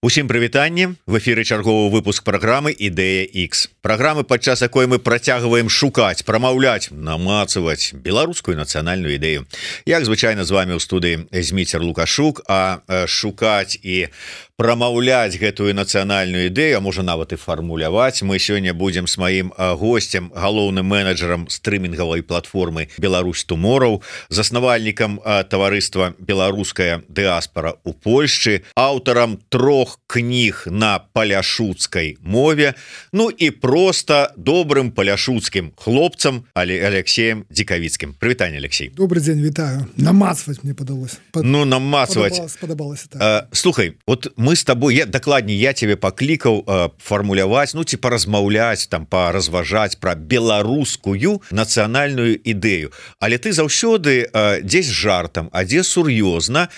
Усім прывітанне, в эфіры чарговы выпуск праграмы Ідэя X. Праграмы, падчас якой мы працягваем шукаць, прамаўляць, намацаваць беларускую нацыянальную ідэю. Як звычайна з вами ў студыі Зміцер Лукашук, а шукаць і прамаўляць гэтую нацыянальную ідэю, а можа нават і фармуляваць, мы сёння будзем з маім госцем, галоўным менеджерам стрымінгавай платформы Беларусь Tomorrow, заснавальнікам таварыства Беларуская дыаспара ў Польшчы, аўтарам 3 кніг на паляшуцкай мове, ну і просто добрым паляшуцкім хлопцам Алексеем Дзікавіцкім. Прывітанне, Алексей. Добрый день, вітаю. Намацваць мне падалось. Ну, намацваць. Спадабалася, так. Слухай, вот мы с тобой, дакладней, я тебе паклікаў фармуляваць, ну, ці паразмаўляць, там, паразважаць пра беларускую нацыянальную ідэю. Але ты заўсёды дзесь жартам, а дзе сур'ёзна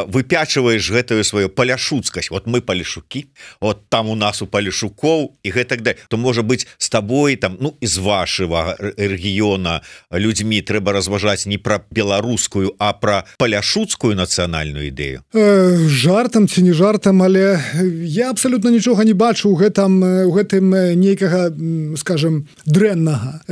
выпячваеш гэтую сваю паляшуцкасць. Вот мы палешукі, вот там у нас у палешукоў і гэтак далее. То, можа быць, з табой, там, ну, з вашего рэгіёна людзьмі трэба разважаць не пра беларускую, а пра паляшуцкую нацыянальную ідэю. Жартам ці не жартам, але я абсолютно нічога не бачу у гэтым нейкага, скажем, дрэннага.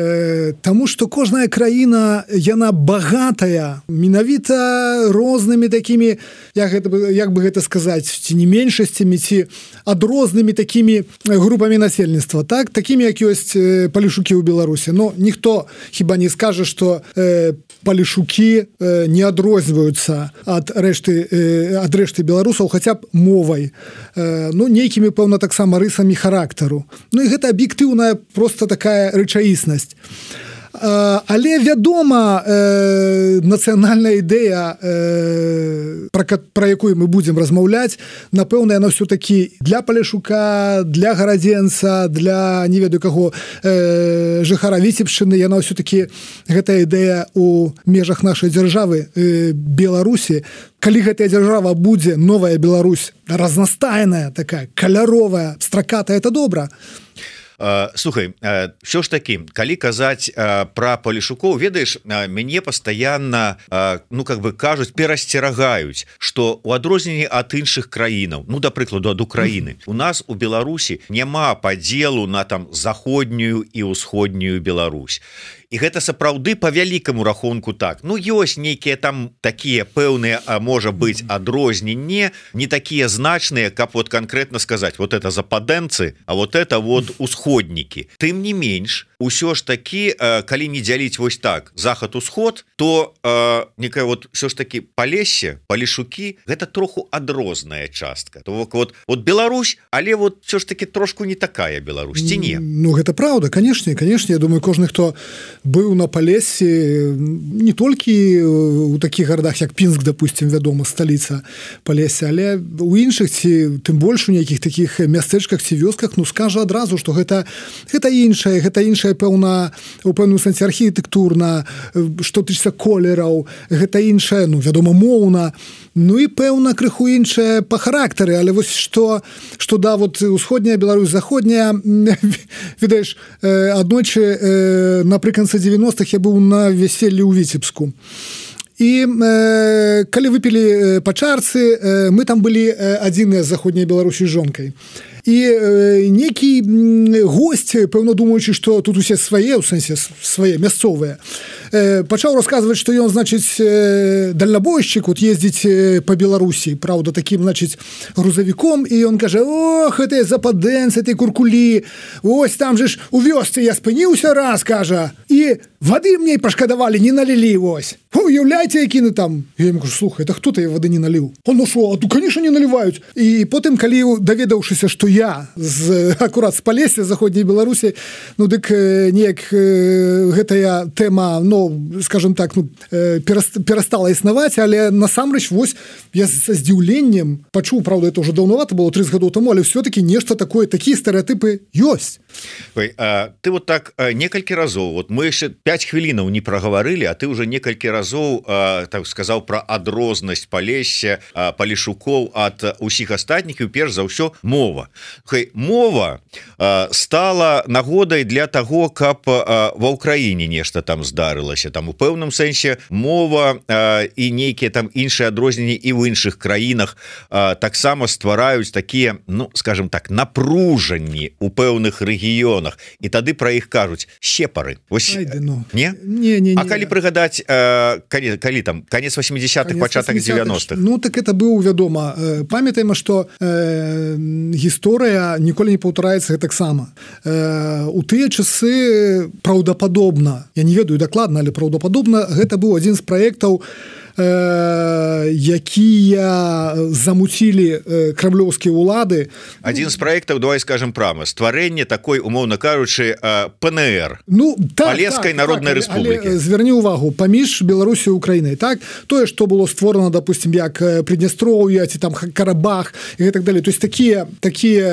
Таму што кожная краіна, яна багатая менавіта рознымі такімі, як бы гэта сказаць, ці не меншасцямі, ці адрознымі такімі групамі насельніцтва, так? Такімі, як ёсць палешукі ў Беларусі. Но ніхто хіба не скажа, што палешукі не адрозніваюцца ад рэшты беларусаў хаця б мовай, ну, нейкімі, пэўна, таксама рысамі характару. Ну, і гэта аб'ектыўная просто такая рэчаіснасць. Але, вядома, нацыянальная ідэя, пра якую мы будзем размаўляць, напэўна, яна ўсё-такі для паляшука, для гарадзенца, для не ведаю каго жыхара Віцебшчыны, яна ўсё-такі гэтая ідэя у межах нашай дзяржавы Беларусі. Калі гэтая дзяржава будзе новая Беларусь, разнастайная, такая каляровая, стракатая, это добра. Слухай, все ж таки, калі казаць пра палешукоў, ведаеш, мяне пастаянна, ну, как бы кажуць, перасцерагаюць, што у адрозненні ад іншых краінаў, ну, да прыкладу, ад Украіны, у нас у Беларусі няма падзелу на там заходнюю і ўсходнюю Беларусь. І гэта сапраўды па вялікаму рахунку так. Ну, ёсць нейкія там такія пэўныя, можа быць, адрозненні, не такія значныя, каб вот конкретно сказаць, вот это западэнцы, а вот это вот усходнікі. Тым не менш, усё ж такі, калі не дзяліць вось так, захад-усход, то некая вот все ж таки Палессе, палешукі, гэта троху адрозная частка. То вот Беларусь, але вот все ж таки трошку не такая Беларусь, ці не? Ну, гэта праўда, канешне, я думаю, кожны, хто быў на Палесе, не толькі у такіх гарадах, як Пінск, допустим, вядома, сталіца Палесе, але у іншых, ці тым больш у нейкіх такіх мястэчках ці вёсках, ну, скажа адразу, што гэта іншае, пэўна, у пэўным сэнсе архітэктурна, што тычыцца колераў, гэта іншае, ну, вядома, моўна, ну і пэўна крыху іншае па характары, але вось што да, вот усходняя Беларусь, заходняя, ведаеш, аднойчы напрыканцы 90-х я быў на вяселлі ў Віцебску. І калі выпілі па чарцы, мы там былі адзіныя з заходняй Беларусі з жонкай. І нейкі госць, пэўна думаючы, што тут усе свае, у сэнсе свае, мясцовыя, пачаў расказваць, што ён, значыць, дальнабойшчык, вот ездзіць па Беларусі, праўда, такім, значыць, грузавіком, і ён кажа: ох, гэтыя западэнцы, этой куркулі, ось там же ж у вёсцы я спыніўся раз, кажа, і вады мне пашкадавалі, не налілі, вось. Уяўляйце, якіны там. Я ему кажу: слухай, это хто-то вады не наліў? Он, ну шо, конечно, не наліваюць. І потым, калі даведаўшыся, што я акурат з Палесся, заходняй Беларусі, ну, дык неяк гэтая тэма, ну, скажем так, ну, перастала існаваць, але насамрэч, вось, я са здзіўленнем пачуў, правда, это уже даўнавата было, 30 гадоў таму, але все-таки нешта такое, такія стэрэатыпы ёсць. Ой, ты вот так некалькі разоў, вот мы яшчэ 5 хвілінаў не прагаварылі, а ты уже некалькі разоў так сказаў пра адрознасць Палесся, палешукоў ад усіх астатніх, і перш за ўсё мова. Мова стала нагодай для таго, каб ва ўкраіне нешта там здарылася. змянялася там у пэўным сэнсе мова і нейкія там іншыя адрозненні і ў іншых краінах таксама ствараюць такія, ну скажем так, напружанні у пэўных рэгіёнах, і тады пра іх кажуць сепары. Вось не? А калі прыгадаць калі там конец 80-х, пачатак 90-х? Ну так это быў, вядома, памятаем, што гісторыя ніколі не паўтараецца таксама. У тыя часы праўдападобна, я не ведаю дакладна, але праўдападобна гэта быў адзін з праектаў, якія замуцілі крамлёўскія ўлады. Адзін з праектаў, давай скажем прама, стварэнне такой, умоўна кажучы, ПНР, Палескай народнай рэспублікі. Зверні ўвагу, паміж Беларусю і Украінай, так? Тое, што было створана, допустим, як Приднестровье, ці там Карабах і так далее. То есть такія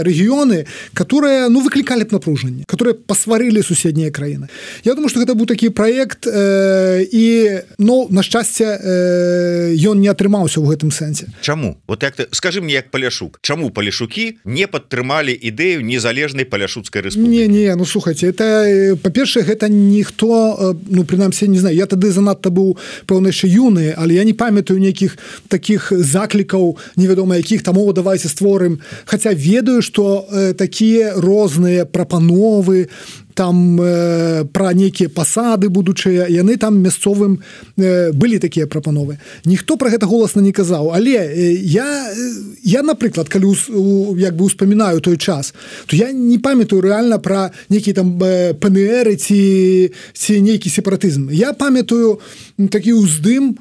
рэгіёны, которые, ну, выклікалі б напружанне, которые пасварылі суседнія краіны. Я думаю, што гэта быў такі праект, і, ну, на шчасце, ён не атрымаўся ў гэтым сэнсе. Чаму? Вот як ты, скажи мне, як Паляшук, чаму палешукі не падтрымалі ідэю незалежнай паляшуцкай рэспублікі? Не, ну слухайте, это, па-першае, гэта ніхто, ну, прынамсі, не знаю, я тады занадта быў, пэўна, яшчэ юны, але я не памятаю нейкіх такіх заклікаў, невядома якіх, там, о, давайте створым, хаця ведаю, што такія розныя прапановы, там пра нейкія пасады будучыя, яны там мясцовым былі такія прапановы. Ніхто пра гэта голасна не казаў, але я напрыклад, калі як бы успамінаю той час, то я не памятаю рэальна пра нейкі там ПНР ці нейкі сепаратызм. Я памятаю такі уздым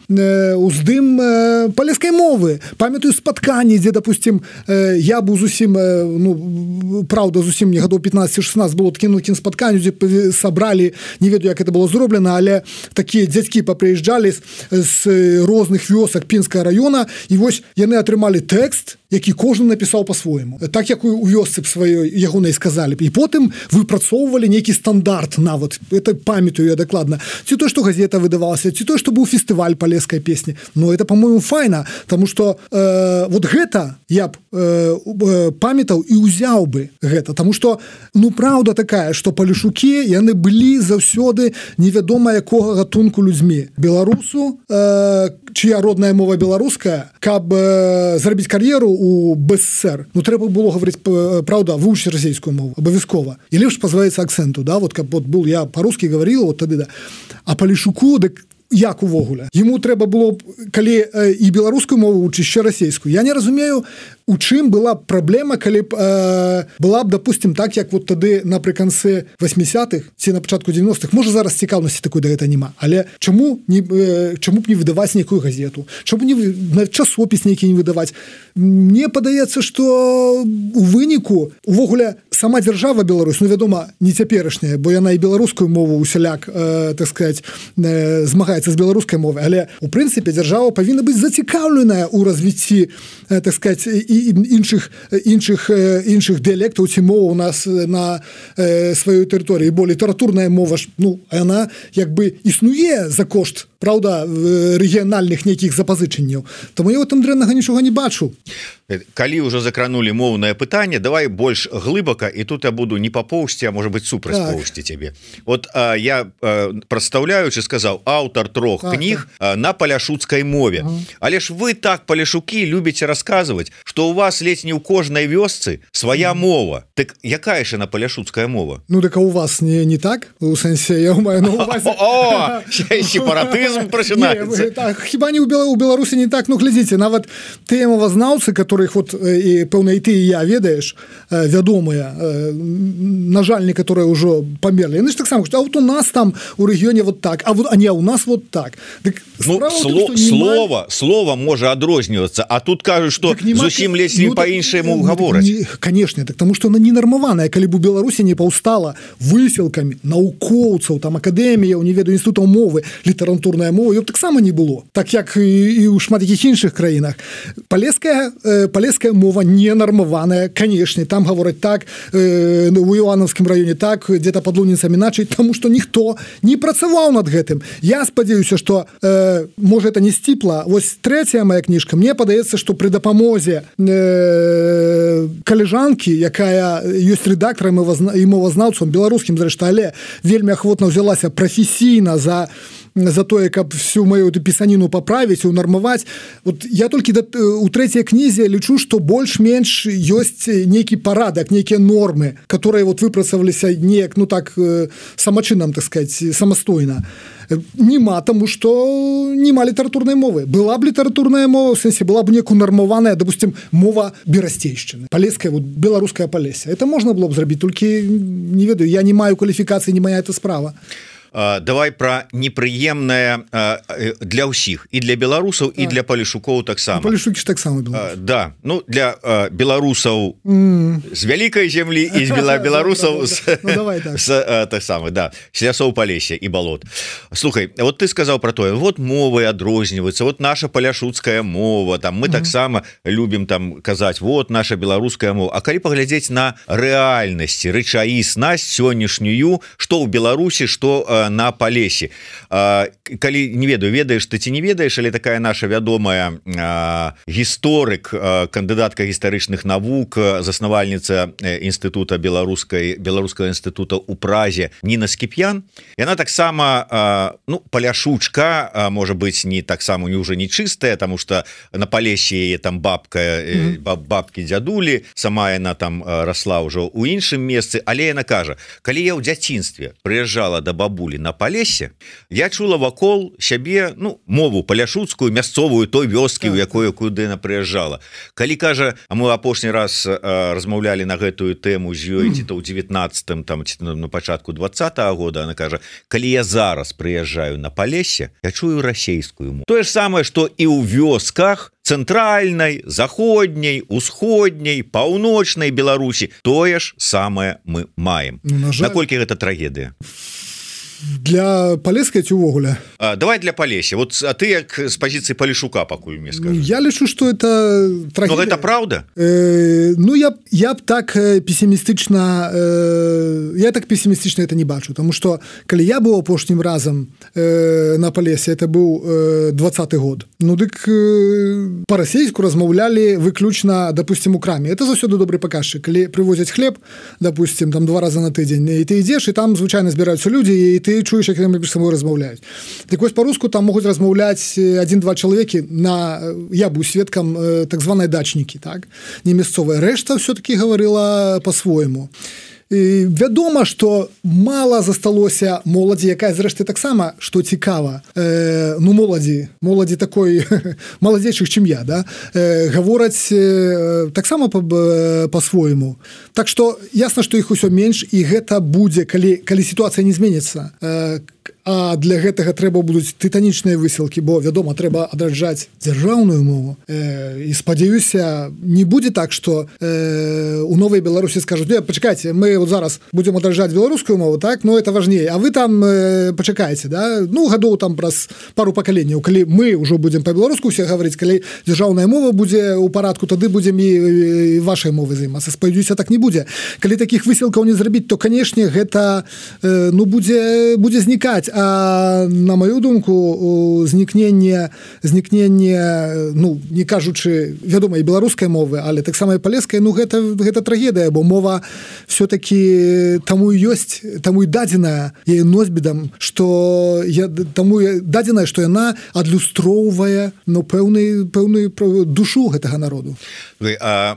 палескай мовы, памятаю спатканні, дзе, допустим, я быў зусім, ну, праўда, зусім не гадоў 15-16 было такім спатканні, дзе сабралі, не ведаю, як это было зроблена, але такія дзядзькі папрыязджалі з розных вёсак Пінскага раёна, і вось яны атрымалі тэкст, які кожны напісаў па-свойму. Так, як у вёсцы сваёй ягонай сказалі. І потым выпрацоўвалі нейкі стандарт нават. Это памятаю я дакладна. Ці то, што газета выдавалася, ці то, што быў фестываль палескай песні. Но это, по-моему, файна, таму што вот гэта я б памятаў і ўзяў бы гэта. Таму што, ну, праўда такая, што палешукі, яны былі заўсёды невядома якога гатунку людзьмі. Беларусу, чия родная мова беларуская, каб зрабіць кар'еру у БССР, ну, трэба было гаварыць, праўда, вывучыць расійскую мову, абавязкова. І лепш пазбавіцца акцэнту, да, вот, каб вот был, я па-рускі гаварыла, вот тады, да. А палешуку, дык як увогуле? Яму трэба было, калі і беларускую мову вучыць, ще расійскую. Я не разумею, у чым была праблема, калі б была б, допустим, так, як вот тады напрыканцы 80-х ці на пачатку 90-х, можа зараз цікаўнасці такой да гэта няма, але чаму б не выдаваць нейкую газету, чаму не часопіс нейкі не выдаваць? Мне падаецца, што у выніку увогуле сама дзяржава Беларусь, ну, вядома, не цяперашняя, бо яна і беларускую мову усяляк, так сказать, змагаецца з беларускай мовай, але у прынцыпе дзяржава павінна быць зацікаўленая ў развіцці, так сказать, і іншых дыялектаў ці моваў у нас на сваёй тэрыторыі, бо літаратурная мова ж, ну, яна як бы існуе за кошт, праўда, рэгіянальных нейкіх запазычанняў. Таму я ў там дрэннага нічога не бачу. Калі ўжо закранули моўнае пытанне, давай больш глыбака, і тут я буду не папоўсці, а можа быць супраць поўсці цябе. Вот я, прадстаўляючы, сказаў, аўтар 3 кніг на паляшуцкай мове. Але ж вы так, паляшукі, любіце расказваць, што ў вас ледзь не ў кожнай вёсцы свая мова. Так якая ж на паляшуцкая мова? Ну, так а у вас не так? У сэнсе, я маю на увазе... О, сепаратызм пачынаецца. Хіба не ў Беларусі не так? Ну, глядзіце, нават тыя мовазнаўцы, которых вот і пэўна і ты і я ведаеш, вядомыя, на жаль, некаторыя ўжо памерлі. Яны ж таксама кажуць, а вот у нас там у рэгіёне вот так, а не у нас вот так. Ну, слова можа адрознівацца, а тут кажуць, што зусім ледзь не па-іншаму гавораць. Конечно, так, таму што она не нармаваная, калі б у Беларусі не паўстала высілкамі навукоўцаў, там акадэміяў, не ведаю, інстытутаў мовы, літаратурная мова, ёб таксама не было. Так як і ў шмат якіх іншых краінах. Палеская мова не нармаваная, конечно, там гавораць так, у Івановскім раёне так, где-то под Луніцамі іначай, таму што ніхто не працаваў над гэтым. Я спадзяюся, што можа это не сціпла. Вось 3-я моя кніжка, мне падаецца, што пры дапамозе калежанкі, якая ёсць рэдактарам і мовазнаўцам беларускім, зрэшты, але вельмі ахвотна ўзялася прафесійна за за тое, каб всю мою пісаніну паправіць, унармаваць. Вот я толькі у трэцяй кнізе лічу, што больш-менш ёсць нейкі парадак, нейкія нормы, которые вот выпрацаваліся неяк, ну так, самачынам, так сказать, самастойна. Нема, тому што нема літаратурнай мовы. Была б літаратурная мова, в сэнсе, была б неяк унармаваная, допустим, мова берасцейшчыны. Палеская, вот, беларуская Палеся. Это можна было б зрабіць, толькі, не ведаю, я не маю кваліфікацыі, не моя эта справа. Давай про непрыемнае для ўсіх, і для беларусаў, і для палешукоў таксама. Палешукі ж таксама беларусы. Да, ну для беларусаў з вялікай зямлі і з беларусаў так самы, да, з лясоў Палесся і балот. Слухай, вот ты сказаў про тое, вот мовы адрозніваюцца, вот наша паляшуцкая мова, там мы таксама любім там казаць, вот наша беларуская мова. А калі паглядзець на рэальнасці, рэчаіснасць сённяшнюю, што ў Беларусі, што на Палесе. Калі не ведаю, ведаеш ты ці не ведаеш, але такая наша вядомая гісторык, кандыдатка гістарычных навук, заснавальніца інстытута беларускага інстытута ў Празе Ніна Скіп'ян. Яна таксама, ну, паляшучка, можа быць, не таксама не ўжо не чыстая, таму што на Палесе яе там бабкі дзядулі, сама яна там расла ўжо ў іншым месцы, але яна кажа, калі я ў дзяцінстве прыязджала да бабулі на Палесе, я чула вакол сябе, ну, мову паляшуцкую, мясцовую той вёскі, у якую яна прыязджала. Калі кажа, а мы апошні раз размаўлялі на гэтую тэму з ёй, ці то ў 19-м, там, ці на пачатку 20-го года, она кажа, калі я зараз прыязджаю на Палесе, я чую расейскую мову. Тое ж самае, што і ў вёсках цэнтральнай, заходняй, усходняй, паўночнай Беларусі, тое ж самае мы маем. Наколькі гэта трагедыя? Для Палескай ці ўвогуле? Давай для Палесся. Вот, а ты як з пазіцыі Палешука пакуль мне скажи. Я лічу, што это трагедыя. Но гэта праўда? Ну, я б так песімістычна это не бачу, тому што калі я быў апошнім разам на Палесе, это быў 20-й год. Ну, дык па-расейску размаўлялі выключна, допустим, у краме. Это заўсёды добры паказчык. Калі прывозяць хлеб, допустим, там 2 раза на тыдзень, і ты ідзеш, і там звычайна збіраюцца людзі, і ты чуеш, як яны між сабой размаўляюць. Так вось па-руску там могуць размаўляць 1-2 чалавекі я быў сведкам так званай дачнікі, так? Не мясцовая. Рэшта ўсё-такі гаварыла па-свойму. І вядома, што мала засталося моладзі, якая зрэшты таксама, што цікава, ну моладзі такой маладзейшых, чым я, да? Гавораць таксама па-свойму. Так што ясна, што іх усё менш, і гэта будзе, калі сітуацыя не зменіцца. А для гэтага трэба будуць тытанічныя высілкі, бо, вядома, трэба адраджаць дзяржаўную мову. І спадзяюся, не будзе так, што у Новай Беларусі скажуць, пачакайце, мы вот зараз будзем адраджаць беларускую мову, так? Ну, это важней. А вы там пачакайце, да? Ну, гадоў там праз пару пакаленняў, калі мы ўжо будзем па-беларуску ўсе гаварыць, калі дзяржаўная мова будзе ў парадку, тады будзем і вашай мовай займацца. Спадзяюся, так не будзе. Калі такіх высілкаў не зрабіць, то, канешне, гэта будзе знікаць. А на маю думку, знікненне, ну, не кажучы, вядома, і беларускай мовы, але таксама і палескай, ну, гэта трагедыя, бо мова все-таки таму і ёсць, таму і дадзеная яе носьбітам, што таму дадзеная, што яна адлюстроўвае, ну, пэўную душу гэтага народу.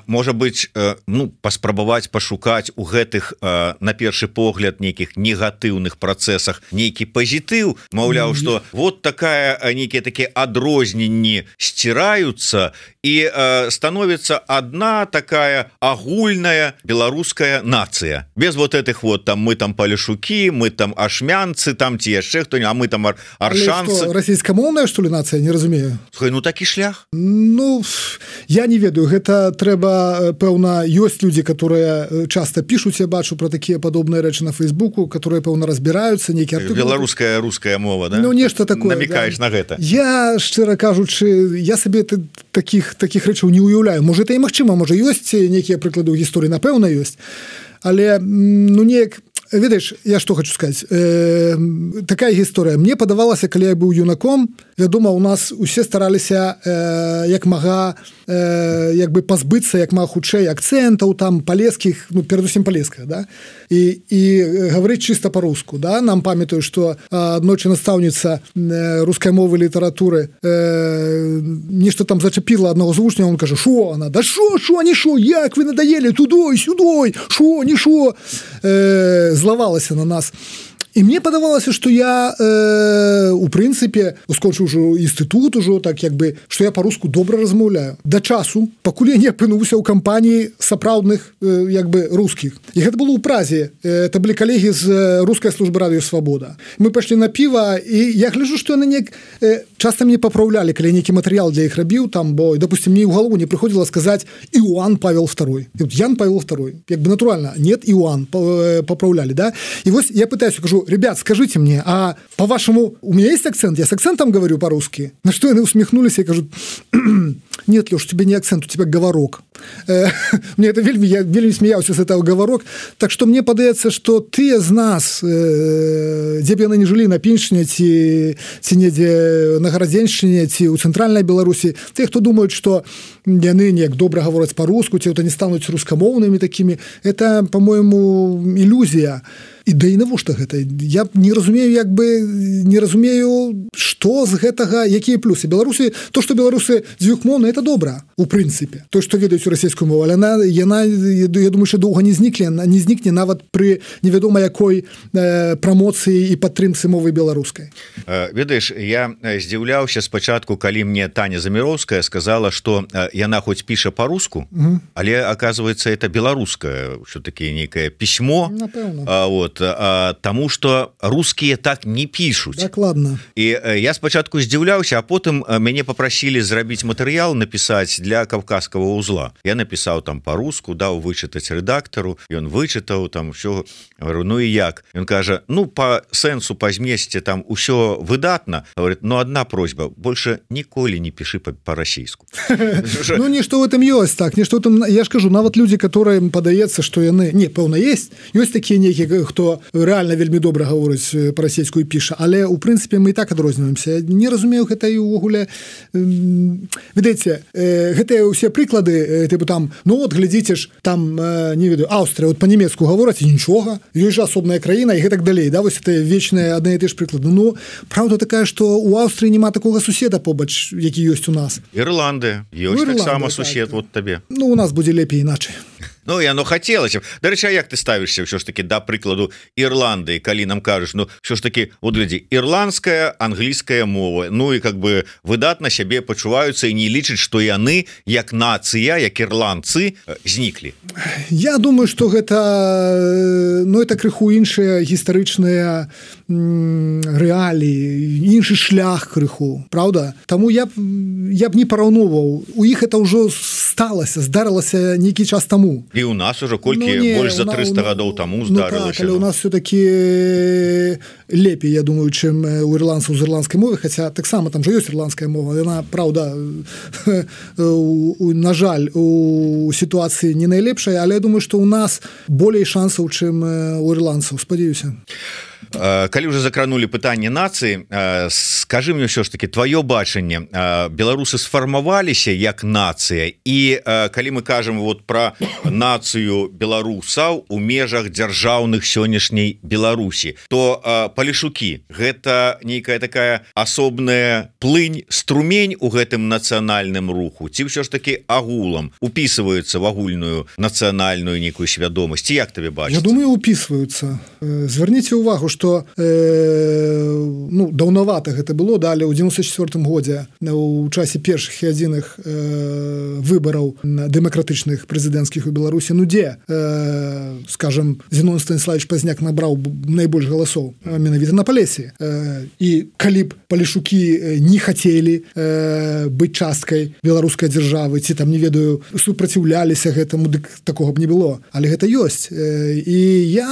Можа быць, ну, паспрабаваць пашукаць у гэтых, на першы погляд, нейкіх негатыўных працэсах нейкі пазітыў, маўляў, што вот нейкія такія адрозненні сціраюцца і становіцца адна такая агульная беларуская нацыя. Без вот этих вот там мы там палешукі, мы там ашмянцы, там ці яшчэ хто-нибудь, а мы там аршанцы. Расійскамоўная, што ли, нацыя? Не разумею. Слухай, ну такі шлях? Ну, я не ведаю. Гэта трэба, пэўна, ёсць людзі, которые часто пишуць, я бачу про такія падобныя рэчы на Фейсбуку, которые, пэўна, разбіраюцца, нейкі артыкул. Беларуская, руская мова, да? Ну, нешта такое. Намекаеш, да, на гэта. Я, шчыра кажучы, я сабе такіх рэчаў не уяўляю. Можа, это і магчыма, можа, ёсць нейкія прыклады ў гісторыі, напэўна, ёсць. Але, ну, неяк ведаеш, я што хочу сказаць, такая гісторыя, мне падавалася, калі я быў юнаком, вядома, у нас усе стараліся як мага як бы пазбыцца як мага хутчэй акцэнтаў там палескіх, ну перадусім палесках, да? І гаварыць чыста па-руску, да? Нам памятаю, што аднойчы настаўніца рускай мовы і літаратуры нешта там зачапіла аднаго з вучняў, он кажа: "Шо она? Да шо, не шо, як вы надоели тудой, сюдой, шо, не шо?" Злавалася на нас. І мне падавалася, што я у прынцыпе скончыў ужо інстытут ужо так як бы, што я па-руску добра размаўляю да часу, пакуль я не апынуўся ў кампаніі сапраўдных як бы рускіх. І гэта было ў Празе, это былі калегі з рускай службы радыё Свабода. Мы пайшлі на піва, і я гляджу, што яны неяк часта мне папраўлялі, калі нейкі матэрыял для іх рабіў там, бо допустим, мне ў галаву не прыходзіла сказаць Іоанн Павел II. Ян Павел II. Як бы натуральна, нет, Іоанн папраўлялі, да? І вось я пытаюся, кажу: "Ребят, скажите мне, а по-вашему у меня есть акцент? Я с акцентом говорю по-русски?" На что они усмехнулись и говорят: "Нет, Леш, у тебя не акцент, у тебя говорок." Мне это вельми, я вельми смеялся с этого говорок. Так что мне падаецца, что ты з нас, дзе б яны не жылі на Піншчыне ці недзе на Гарадзеншчыне ці ў цэнтральнай Беларусі, те, хто думаюць, што яны неяк добра гавораць по-руску, ці то не стануць рускамоўнымі такімі, это, по-моему, ілюзія. І да і навошта гэта? Я не разумею, як бы не разумею, што з гэтага, якія плюсы. Беларусы, то, што беларусы дзвюхмоўны, это добра, у прынцыпе. То, што ведаюць расійскую мову, але яна, я думаю, що доўга не знікне нават пры невядома якой прамоцыі і падтрымцы мовы беларускай. Ведаеш, я здзіўляўся спачатку, калі мне Таня Заміроўская сказала, што яна хоць піша по-руску, але, оказывается, это беларускае, що-таки нейкае пісьмо. Напэўна. Вот, тому что русские так не пишут. Докладно. И я спочатку здзіўляўся, а потом мяне попросили зрабіць матэрыял, написать для Кавказского узла. Я написал там по-руску, дал вычитать редактору, и он вычитал там все. Говорю: "Ну и як?" Он кажа: "Ну, по сенсу, по зместе там усё выдатно." Говорит: "Но одна просьба, больше ніколі не пиши по-расійску." Ну, нешто в этом ёсць, так, нешто в этом, я ж кажу, нават людзі, которым падаецца, што яны, не, пэўна, ёсць такія нейкія, хто реально вельмі добра гаворыць па-расейску і піша, але у прынцыпе мы і так адрозніваемся. Не разумею гэта і ўвогуле. Ведаеце, гэтыя ўсе прыклады, тыпу там, ну от глядзіце ж, там, не ведаю, Аўстрыя, от па-нямецку гавораць, і нічога, ёсць жа асобная краіна, і гэтак далей, да, вось это вечныя адны і ты ж прыклады. Ну, правда такая, што ў Аўстрыі няма такога суседа побач, які ёсць у нас. Ірландыя, ёсць таксама сусед, вот табе. Ну, у нас будзе лепей іначай. Ну, і оно хацелася. Дарэчы, як ты ставішся ўсё ж таки да прыкладу Ірландыі, калі нам кажаш, ну, ўсё ж таки, вот глядзі, ірландская, англійская мова, ну і как бы выдатна сябе пачуваюцца і не лічаць, што яны як нацыя, як ірландцы зніклі. Я думаю, што гэта, ну, это крыху іншыя гістарычныя рэаліі, іншы шлях крыху, правда? Таму я б не параўноўваў. У іх это ўжо сталася, здарылася нейкі час таму. І у нас уже колькі больш за 300 гадоў таму здарылася. Ну так, але у нас все-таки лепей, я думаю, чым у ірландцаў з ірландскай мовы, хаця таксама там жа ёсць ірландская мова, яна, правда, на жаль, у сітуацыі не найлепшая, але я думаю, што у нас болей шансаў, чым у ірландцаў, спадзяюся. Калі уже закранули пытанне нацыі, скажи мне ўсё ж таки твоё бачанне, беларусы сфармаваліся як нацыя, і калі мы кажам вот про нацыю беларусаў у межах дзяржаўных сённяшняй Беларусі, то Палешукі гэта нейкая такая асобная плынь, струмень у гэтым нацыянальным руху, ці ўсё ж таки агулам упісваюцца в агульную нацыянальную нейкую свядомасць, як табе бачыцца? Я думаю, упісваюцца. Звярніце ўвагу, што ну, даўнавата гэта было, да, але ў 94-м годзе у часе першых і адзіных выбараў дэмакратычных прэзідэнцкіх у Беларусі, ну дзе, скажем, Зінон Станіславович Пазняк набраў найбольш галасоў менавіта на Палесе. І калі б Палешукі не хацелі быць часткай беларускай дзяржавы, ці там, не ведаю, супраціўляліся гэтаму, дык такога б не было. Але гэта ёсць. І я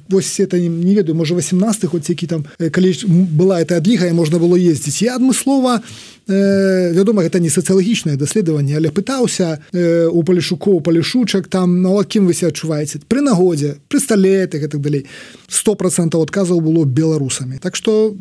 вось это не ведаю, можа 18-х, от які там, калі была эта адліга, і можна было ездзіць. Я адмыслова вядома, гэта не сацыялагічнае даследаванне, але пытаўся у палешукоў, палешучак там, ну, кім вы себя адчуваеце? Пры нагодзе, пры сталетах і так далей. 100% адказаў было беларусамі. Так што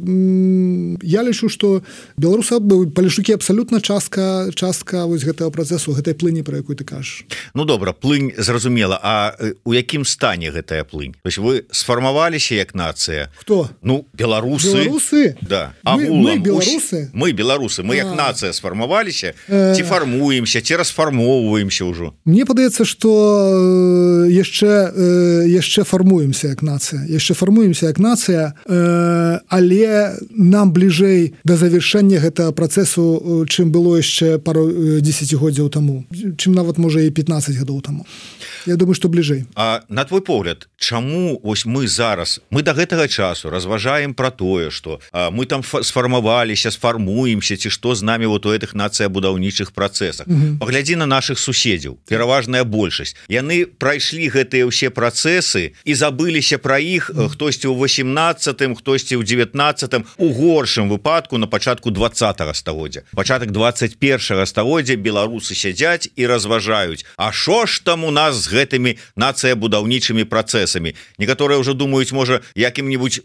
я лічу, што беларусы, палешукі абсалютна частка вось гэтага працэсу, гэтай плыні, пра якую ты кажаш. Ну добра, плынь зразумела, а у якім стане гэтая плынь? То есть вы сфармаваліся як нацыя? Хто? Ну, беларусы. Беларусы? Да. Мы беларусы? Мы беларусы, мы як нацыя сфармаваліся, ці фармуемся, ці расфармоўваемся ўжо? Мне падаецца, што яшчэ фармуемся як нацыя, але нам бліжэй да завяршэння гэтага працэсу, чым было яшчэ пару дзесяцігоддзяў таму, чым нават можа і 15 гадоў таму. Я думаю, што бліжэй. А на твой погляд, чаму вось мы зараз, мы да гэтага часу разважаем пра тое, што мы там сфармаваліся, сфармуемся, ці што з намі вот у гэтых нацыябудаўнічых працэсах. Паглядзі на нашых суседзяў, пераважная большасць. Яны прайшлі гэтыя ўсе працэсы і забыліся пра іх, хтосьці ў 18-м, хтосьці ў 19-м, у горшым выпадку на пачатку 20-го стагоддзя. Пачатак 21-го стагоддзя беларусы сядзяць і разважаюць, а што ж там у нас з гэтымі нацыябудаўнічымі працэсамі. Некаторыя ўжо думаюць, можа, якім-небудзь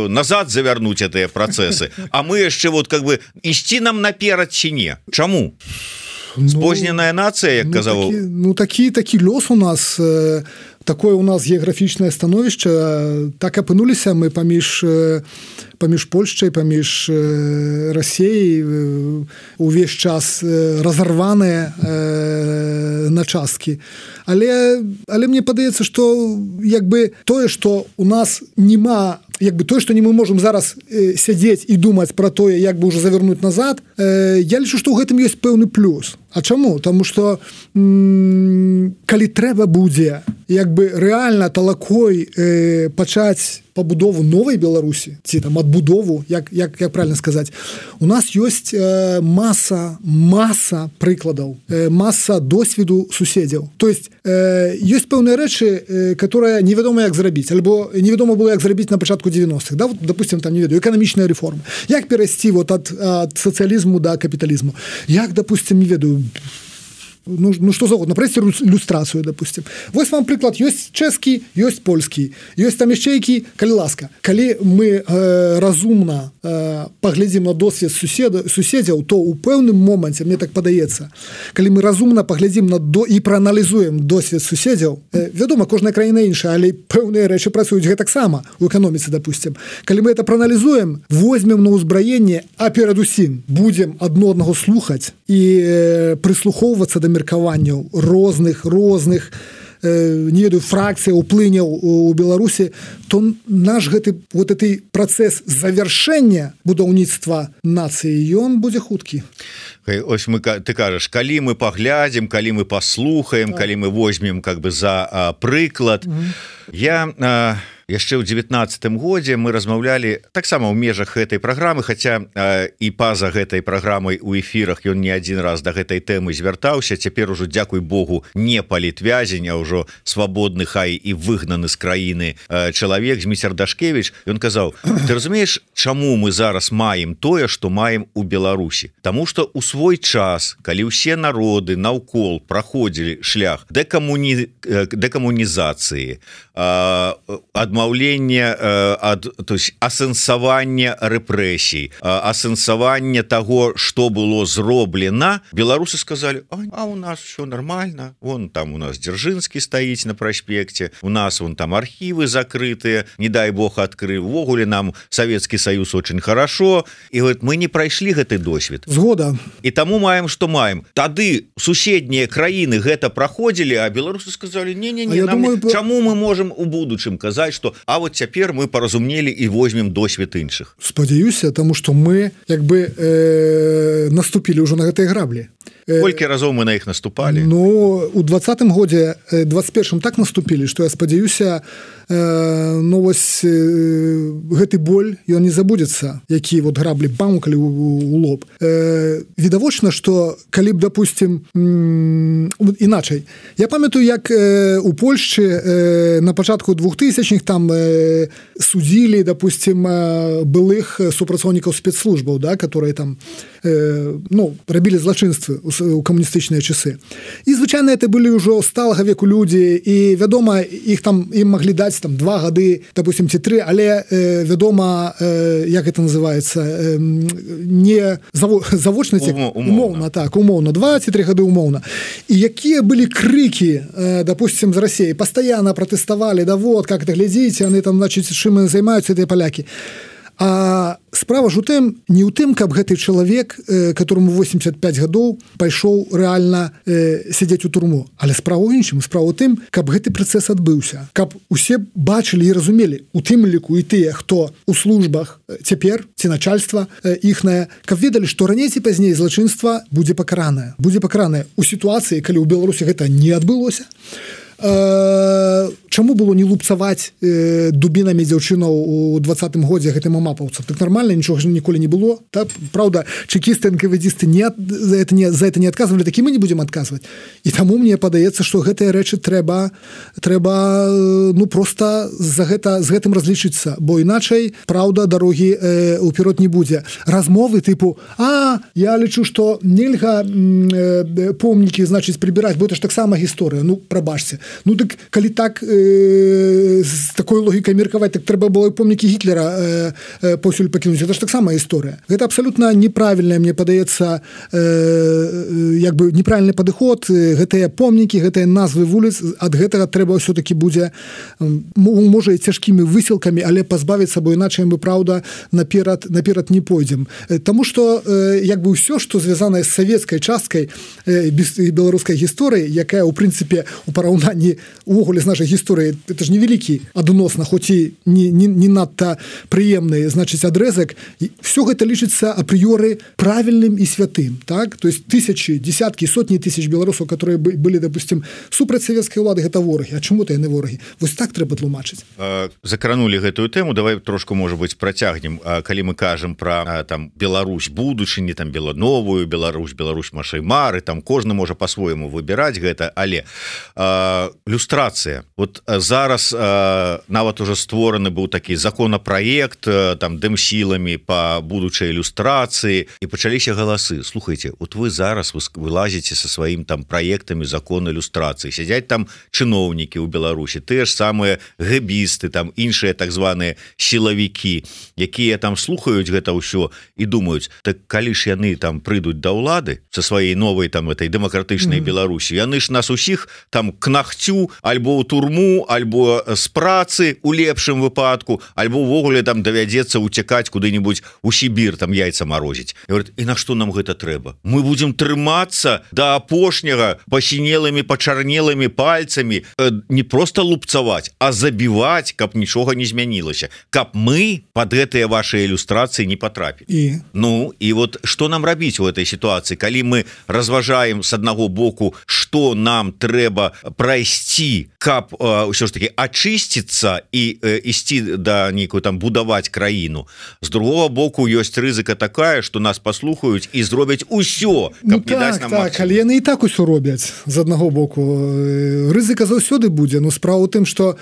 назад завярнуць гэтыя працэсы, а мы яшчэ вот как бы ісці нам наперад ці не. Чаму? Спозненая нацыя, як казаў. Такі лёс у нас, такое у нас геаграфічнае становішча, так апынуліся мы паміж Польшчай, паміж Расіяй увесь час разарваныя на часткі. Але мне падаецца, што як бы тое, што у нас нема, як бы тое, што не мы можам зараз сядзець і думаць пра тое, як бы ўжо завярнуць назад, я лічу, што ў гэтым ёсць пэўны плюс. А чаму? Таму што калі трэба будзе як бы рэальна талакой пачаць пабудову новай Беларусі, ці там адбудову, як правильно сказаць, у нас ёсць маса прыкладаў, маса досведу суседзяў. То есть ёсць пэўныя рэчы, которые невядома як зрабіць, альбо невядома было як зрабіць на пачатку 90-х, да, вот, допустим, там, не ведаю, эканамічная рэформа. Як перайсці вот ад сацыялізму да капіталізму? Як, допустим, не ведаю, ну что загодна, правесці люстрацыю, допустим. Вось вам прыклад, ёсць чэшскі, ёсць польскі, ёсць там яшчэ які, калі ласка. Калі мы разумна паглядзім на досвед суседзяў, то ў пэўным моманце, мне так падаецца, калі мы разумна паглядзім і прааналізуем досвед суседзяў, вядома, кожная краіна іншая, але пэўныя рэчы працуюць гэтаксама у эканоміцы, допустим. Калі мы это прааналізуем, возьмем на ўзбраенне, а перадусім будзем адно аднаго слухаць і прыслухоўвацца да меркаванняў розных не ведаю, фракцый, уплыняў у Беларусі, то наш гэты працэс завяршэння будаўніцтва нацыі, ён будзе хуткі. Ось ты кажаш, калі мы паглядзім, калі мы паслухаем, калі мы возьмем как бы за прыклад. Я яшчэ ў 19-м годзе мы размаўлялі таксама ў межах гэтай праграмы, хаця і па-за гэтай праграмай у эфірах ён не адзін раз да гэтай тэмы звяртаўся. Цяпер ужо, дзякуй Богу, не палітвязень, а ўжо свабодны, хай і выгнаны з краіны чалавек, Зміцер Дашкевіч. Ён казаў, ты разумееш, чаму мы зараз маем тое, што маем у Беларусі? Таму што ў свой час, калі ўсе народы наўкол праходзілі шлях дэкамунізацыі, адмаўлення то есть асэнсавання рэпрэсій, асэнсавання таго, што было зроблена, беларусы сказалі, а у нас все нормально, вон там у нас Дзяржынскі стаіць на праспекце, у нас вон там архівы закрытыя, не дай Бог адкрыў, увогуле нам Савецкі Саюз очень хорошо, і говорит, мы не прайшлі гэты досвед. Згода. І таму маем, што маем. Тады суседнія краіны гэта праходзілі, а беларусы сказалі, не, чаму мы можам у будучым казаць, што а вот цяпер мы паразумнелі і возьмем досвед іншых. Спадзяюся, таму што мы як бы наступілі ўжо на гэтыя граблі. Колькі разоў мы на іх наступалі? Ну, у 20-м годзе, 21-м так наступілі, што я спадзяюся, ну вось гэты боль, ён не забудзецца, які вот граблі бамкалі у лоб. Відавочна, што калі б, допустим, іначай. Я памятаю, як у Польшчы на пачатку 2000-х там судзілі, допустим, былых супрацоўнікаў спецслужбаў, да, которые там ну, рабілі злачынствы у камуністычныя часы. І, звычайна, это былі ўжо сталага веку людзі, і, вядома, іх там, ім маглі даць там 2 гады, допустим, ці 3, але, вядома, як это называецца, не завочна, умоўна, так, умоўна, 2 ці 3 гады умоўна. І якія былі крыкі, допустим, з Расіі, пастаянна пратэставалі, да вот, как это глядзіце, яны там, значит, чым займаюцца гэтыя палякі. А справа ж у тым, не ў тым, каб гэты чалавек, которому 85 гадоў, пайшоў рэальна сядзець у турму. Але справа ў іншым, справа ў тым, каб гэты працэс адбыўся. Каб усе бачылі і разумелі, у тым ліку і тыя, хто у службах цяпер, ці начальства іхнае, каб ведалі, што раней ці пазней злачынства будзе пакаранае. Будзе пакаранае ў сітуацыі, калі ў Беларусі гэта не адбылося. Чаму было не лупцаваць дубінамі дзяўчынаў у 20-м годзе гэтым амапаўцам? Так нармальна, нічога ж ніколі не было. Так? Праўда, чекісты, НКВДисты за это не адказвалі, так і мы не будзем адказваць. І таму мне падаецца, што гэтыя рэчы трэба ну, проста з гэтым разлічыцца, бо іначай, праўда, дарогі ўперод не будзе. Размовы тыпу, я лічу, што нельга помнікі, значыць, прыбіраць, бо это ж таксама гісторыя. Ну, прабачце. Ну, так, калі так з такой логікай меркаваць, так трэба было і помнікі Гітлера паўсюль пакінуць. Это ж таксама гісторыя. Гэта абсалютна неправільная, мне падаецца, як бы неправільны падыход. Гэтыя помнікі, гэтыя назвы вуліц, ад гэтага трэба ўсё-такі будзе, можа, і цяжкімі высілкамі, але пазбавіцца, бо іначай мы, праўда, наперад не пойдзем. Таму што, як бы, ўсё, што звязанае з савецкай часткай беларускай гісторыі, якая, у прынцыпе, у параўнанні увогуле з нашай гісторыі, это ж невялікі адносна, хоць і не надта прыемны, значыць, адрэзак, все гэта лічыцца апрыёры правільным і святым, так? То есть тысячи, десяткі, сотні тысяч беларусаў, которые былі, допустим, супраць савецкай улады, гэта ворагі. А чаму-то яны ворагі? Вось так трэба тлумачыць. Закранули гэтую тэму, давай трошку, можа быць, працягнем. Калі мы кажам пра там Беларусь будучыні, там новую Беларусь нашай мары, там кожны можа по-свойму выбіраць гэта, але люстрацыя. Вот зараз нават уже створаны быў такі законапраект там дэмсіламі по будучай ілюстрацыі, і пачаліся галасы. Слухайте, вот вы зараз вылазіце со сваім там праектамі закон ілюстрацыі, сядзяць там чыноўнікі ў Беларусі, тыя ж самыя гэбісты, там іншыя так званыя сілавікі, якія там слухаюць гэта ўсё і думаюць, так калі ж яны там прыйдуць да ўлады со сваёй новай там этой дэмакратычнай Беларусі, яны ж нас усіх там к нагцю, альбо ў турму, альбо з працы у лепшым выпадку, альбо ўвогуле там давядзецца уцякаць куды-нибудь у Сібір, там яйца марозіць. І на што нам гэта трэба? Мы будзем трымацца да апошняга пасінелымі, пачарнелымі пальцамі, не проста лупцаваць, а забіваць, каб нічога не змянілася, каб мы под гэтыя ваши ілюстрацыі не потрапілі. Ну, і вот што нам рабіць у этой ситуации, калі мы разважаем с аднаго боку, што нам трэба прайсці, каб ўсё ж таки ачысціцца і ісці да нейкую там будаваць краіну. З другого боку ёсць рызыка такая, што нас паслухаюць і зробяць усё, каб не даць нам так, але яны і так усё робяць з аднаго боку. Рызыка заўсёды будзе, но справа ў тым, што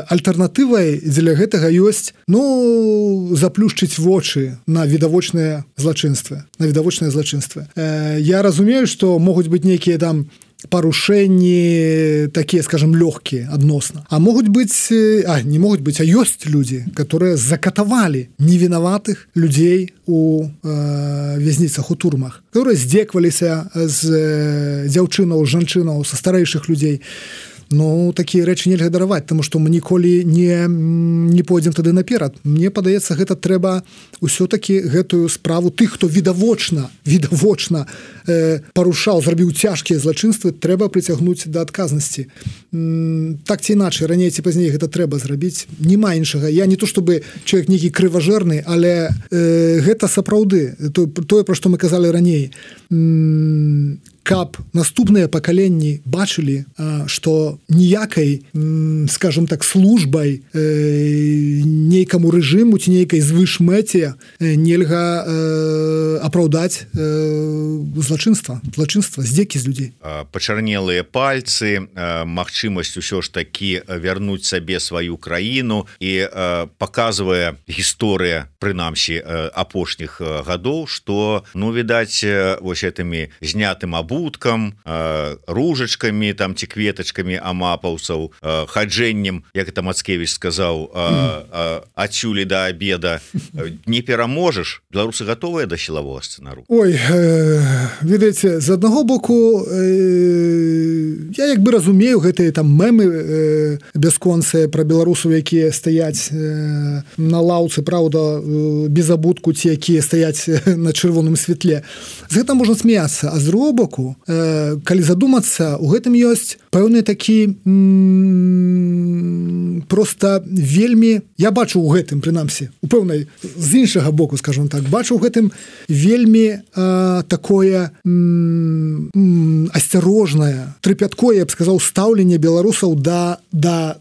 альтэрнатывай дзеля гэтага ёсць, ну, заплюшчыць вочы на відавочныя злачынствы. Я разумею, што могуць быць нейкія там парушэнні такія, скажем, лёгкія адносна. А могуць быць, не могуць быць, а ёсць людзі, которые закатавалі невінаватых людзей у вязніцах, у турмах, которые здзекваліся з дзяўчынаў, жанчынаў, са старэйшых людзей. Ну такія рэчы нельга дараваць, таму што мы ніколі не пойдзем тады наперад. Мне падаецца, гэта трэба ўсё-таки гэтую справу тых, хто відавочна парушаў, зрабіў цяжкія злачынствы, трэба прыцягнуць да адказнасці. Так ці іначай, раней ці пазней гэта трэба зрабіць. Нема іншага. Я не то чтобы чалавек нейкі крыважэрны, але гэта сапраўды тое, пра што мы казалі раней. Каб наступныя пакаленні бачылі, што ніякай, скажем так, службай нейкаму рэжыму ці нейкай звышмэце нельга апраўдаць злачынства, здзекі з людзей. Пачарнелыя пальцы, магчымасць усё ж такі вярнуць сабе сваю краіну, і паказвае гісторыя, прынамсі, апошніх гадоў, што, ну, відаць, вось гэтымі знятым абуткам, ружачкамі там ці кветачкамі амапаўцаў, хаджэннем, як это Мацкевіч сказаў, адсюль да абеда не пераможаш. Беларусы гатовыя да сілавога сцэнару? Ой, ведаеце, з аднаго боку я як бы разумею гэтыя там мемы бясконцыя пра беларусаў, якія стаяць на лаўцы, праўда, без абутку, ці якія стаяць на чырвоным святле. З гэтым можна смяяцца, а з другого боку, калі задумацца, у гэтым ёсць пэўны такі просто вельмі, я бачу у гэтым, прынамсі, у пэўнай з іншага боку, скажем так, бачу у гэтым вельмі такое асцярожнае, трыпяткое, я б сказаў, стаўленне беларусаў да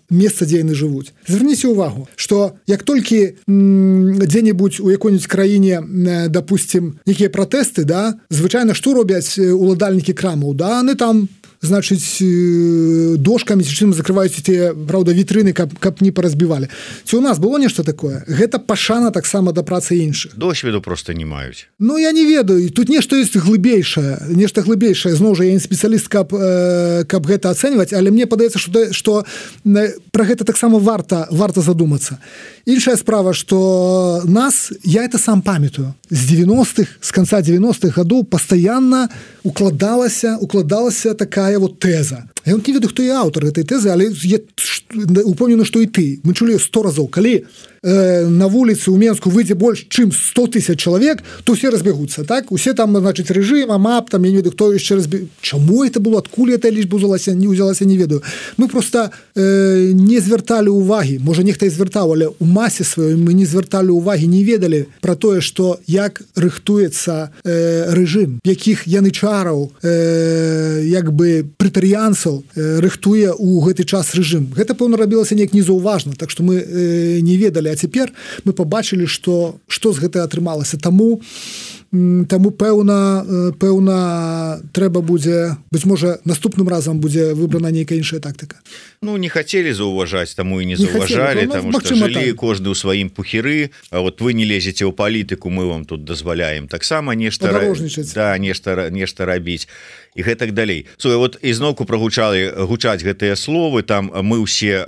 месца, дзе яны жывуць. Звярніце ўвагу, што як толькі дзе-небудзь у якой-нибудь краіне, допустим, некія пратэсты, да, звычайна што робяць уладальнікі крамаў, да, яны там, значыць, дошкамі ці чым закрываюць тыя, праўда, вітрыны, каб не паразбівалі. Ці у нас было нешта такое? Гэта пашана таксама да працы іншых. Досведу просто не маюць. Ну, я не ведаю. Тут нешта ёсць глыбейшае. Нешта глыбейшае. Зноў жа, я не спецыяліст, каб гэта ацэньваць, але мне падаецца, што пра гэта таксама варта задумацца. Іншая справа, што нас, я это сам памятаю, з 90-х, з канца 90-х гадоў пастаянна укладалася такая вот тэза. Я не ведаю, хто і аўтар гэтай тэзы, але я упэўнены, што і ты. Мы чулі 100 разоў. Калі на вуліцы ў Менску выйдзе больш, чым 100 000 чалавек, то ўсе разбягуцца, так? Усе там, значыць, рэжым, АМАП, там, я не ведаю, хто яшчэ Чаму это было? Адкуль эта лічба ўзялася, не ведаю. Мы проста не звярталі ўвагі. Можа, нехта і звяртаў, але ў масе сваёй мы не звярталі ўвагі, не ведалі пра тое, што як рыхтуецца рэжым, якіх янычараў, як бы прэтарыянцаў рыхтуе ў гэты час рэжым. Гэта, пэўна, рабілася неяк незаўважна, так што мы не ведалі. А цяпер мы пабачылі, што з гэта атрымалася. Таму пэўна трэба будзе, быць можа, наступным разам будзе выбрана нейкая іншая тактыка. Ну, не хацелі заўважаць, таму і не заўважалі, таму што жылі кожны ў сваім пухіры. А вот вы не лезеце ў палітыку, мы вам тут дазваляем таксама нешта рабіць і гэтак далей. Вот ізноўку гучаць гэтыя словы, там мы ўсе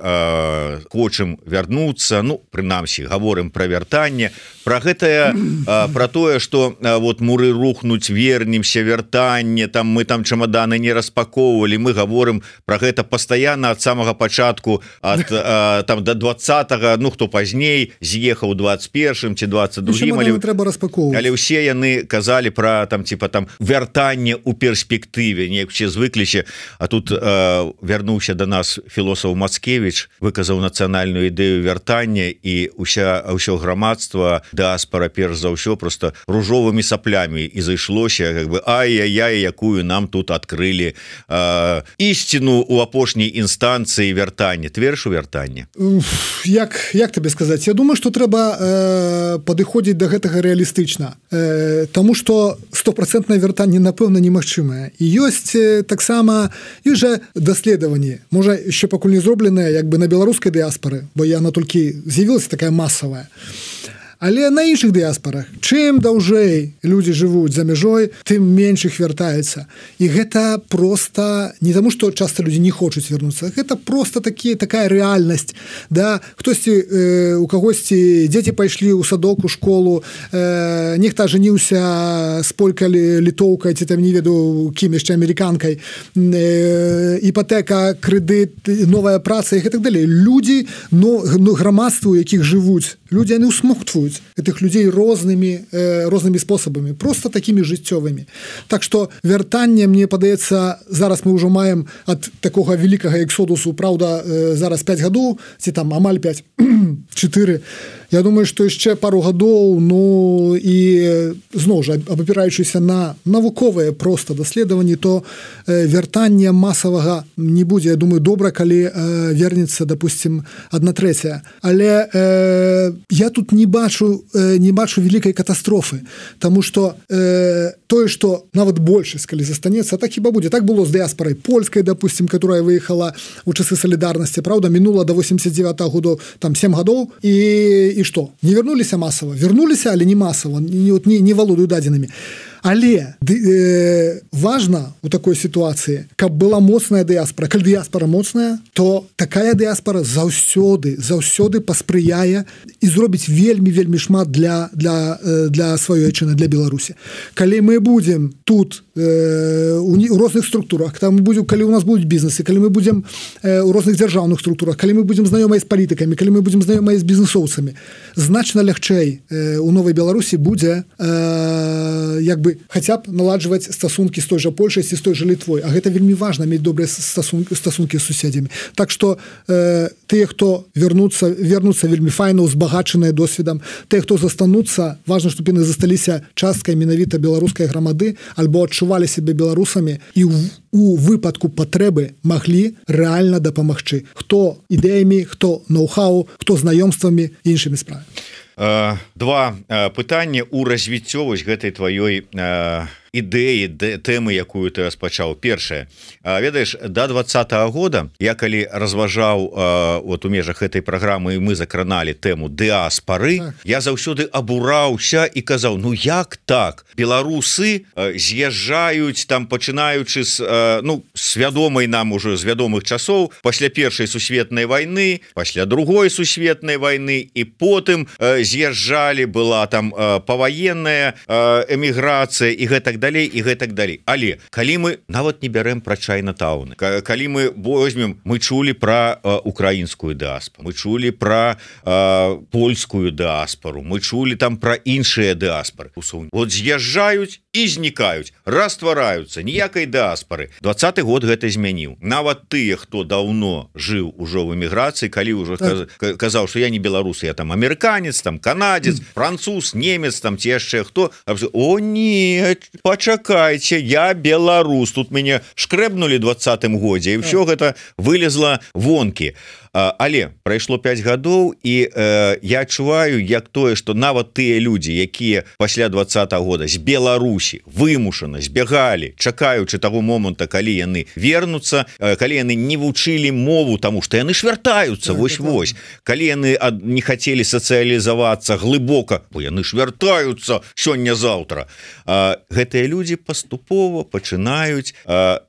хочам вярнуцца, ну, прынамсі, гаворым пра вяртанне, пра гэтае, пра тое, што вот муры рухнуць, вернемся, вяртанне, там мы там чамаданы не распаковывалі, мы гаворым пра гэта пастаянна ад самага пачатку, там до 20-го, ну, хто пазней з'ехаў 21-м ці 22-м, але ўсе яны казалі пра там, типа, там вяртанне ў перспектыве, неяк усе звыкліся, а тут вярнуўся до нас філосаф Мацкевіч, выказаў нацыянальную ідэю вяртання, і ўсё грамадства, дыаспара, перш за ўсё, просто ружовымі саплямі і зайшлося, как бы, ай-яй-яй, якую нам тут адкрылі ісціну ў апошняй інстанцыі вяртання. Ты верыш у вяртанне? Як табе сказаць? Я думаю, што трэба падыходзіць да гэтага рэалістычна, таму што 100% вяртанне, напэўна, немагчымае. І ёсць таксама, ёсць жа даследаванні, можа, яшчэ пакуль не зробленыя, як бы на беларускай дыаспары, бо яна толькі з'явілася такая масавая. Але на іншых дыяспарах чым даўжэй людзі жывуць за мяжой, тым менш іх вяртаецца. І гэта просто не таму, што часта людзі не хочуць вярнуцца, гэта просто такая рэальнасць. Да? Хтосьці у кагосьці дзеці пайшлі ў садок, у школу, нехта ажаніўся з полькай літоўкай, ці там не ведаю кім яшчэ амерыканкай, іпатэка, крэдыт, новая праца і так далей. Людзі, грамадства, у якіх жывуць, людзі яны ўсмоктваюць гэтых людзей рознымі спосабамі, просто такімі жыццёвымі. Так што вяртанне, мне падаецца, зараз мы ўжо маем ад такога вялікага эксодусу, праўда, зараз 5 гадоў, ці там амаль 5, 4. Я думаю, што яшчэ пару гадоў, і зноў жа, абапіраючыся на навуковыя проста даследаванні, то вяртання масавага не будзе. Я думаю, добра, калі вернецца, допустим, 1/3. Але я тут не бачу вялікай катастрофы, таму што тое, што нават большасць, калі застанецца, так хіба будзе. Так было з дыяспарай польскай, допустим, которая выехала у часы салідарнасці, правда, мінула до 89-го году, там 7 гадоў, і што? Не вернуліся масава? Вернуліся, але не масава, не валодаю дадзенымі. Але важна у такой сітуацыі, каб была моцная дыяспара. Калі дыяспара моцная, то такая дыяспара заўсёды паспрыяе і зробіць вельмі шмат для сваёй айчыны, для Беларусі. Калі мы будзем тут у розных структурах, калі у нас будуць бізнесы, калі мы будзем у розных дзяржаўных структурах, калі мы будзем знаёмыя з палітыкамі, калі мы будзем знаёмыя з бізнесоўцамі, значна лягчэй у новай Беларусі будзе хаця б наладжваць стасункі з той жа Польшай ці з той жа Літвой. А гэта вельмі важна, мець добрыя стасункі з суседзямі. Так што тыя, хто вернуцца вельмі файна, узбагачаныя досведам. Тыя, хто застануцца, важна, щоб яны засталіся часткай менавіта беларускай грамады альбо адчувалі сябе беларусамі і у выпадку патрэбы маглі рэальна дапамагчы. Хто ідэямі, хто ноу-хау, хто знаёмствамі і іншымі справамі. Два пытання ў развіццё вось гэтай тваёй ідэі, тэмы, якую ты распачаў. Першае, ведаеш, до 20-го года я калі разважаў у межах гэтай праграмы, і мы закраналі тэму дыаспары, я заўсёды абураўся і казаў, як так? Беларусы з'язджаюць там, пачынаючы з вядомай нам ужо з вядомых часоў, пасля Першай сусветнай вайны, пасля Другой сусветнай вайны, і потым з'язджалі, была там паваенная эміграцыя і гэтак далей і гэтак далей. Але калі мы нават не бярэм пра Чайнатаўны, калі мы возьмем, мы чулі пра украінскую дыаспару, мы чулі пра польскую дыаспару, мы чулі там пра іншыя дыаспары. Вот з'язджаюць і знікаюць, раствараюцца, ніякай дыаспары. 20-й год гэта змяніў. Нават тыя, хто даўно жыў ужо в эміграцыі, калі ўжо казаў, што я не беларус, я там амерыканец, там канадзец, француз, немец, там ці яшчэ хто, о не, пачакайце, я беларус, тут мяне шкрэбнули 20-м годзе, і ўсё гэта вылезла вонкі. Але прайшло 5 гадоў, і я адчуваю, як тое, што нават тыя людзі, якія пасля 20-го года з Беларусі вымушана збягалі, чакаючы таго моманта, калі яны вернуцца, калі яны не вучылі мову, таму што яны ж вяртаюцца, вось-вось. Калі яны не хацелі сацыялізавацца глыбока, бо яны ж вяртаюцца сёння-заўтра. Гэтыя людзі паступова пачынаюць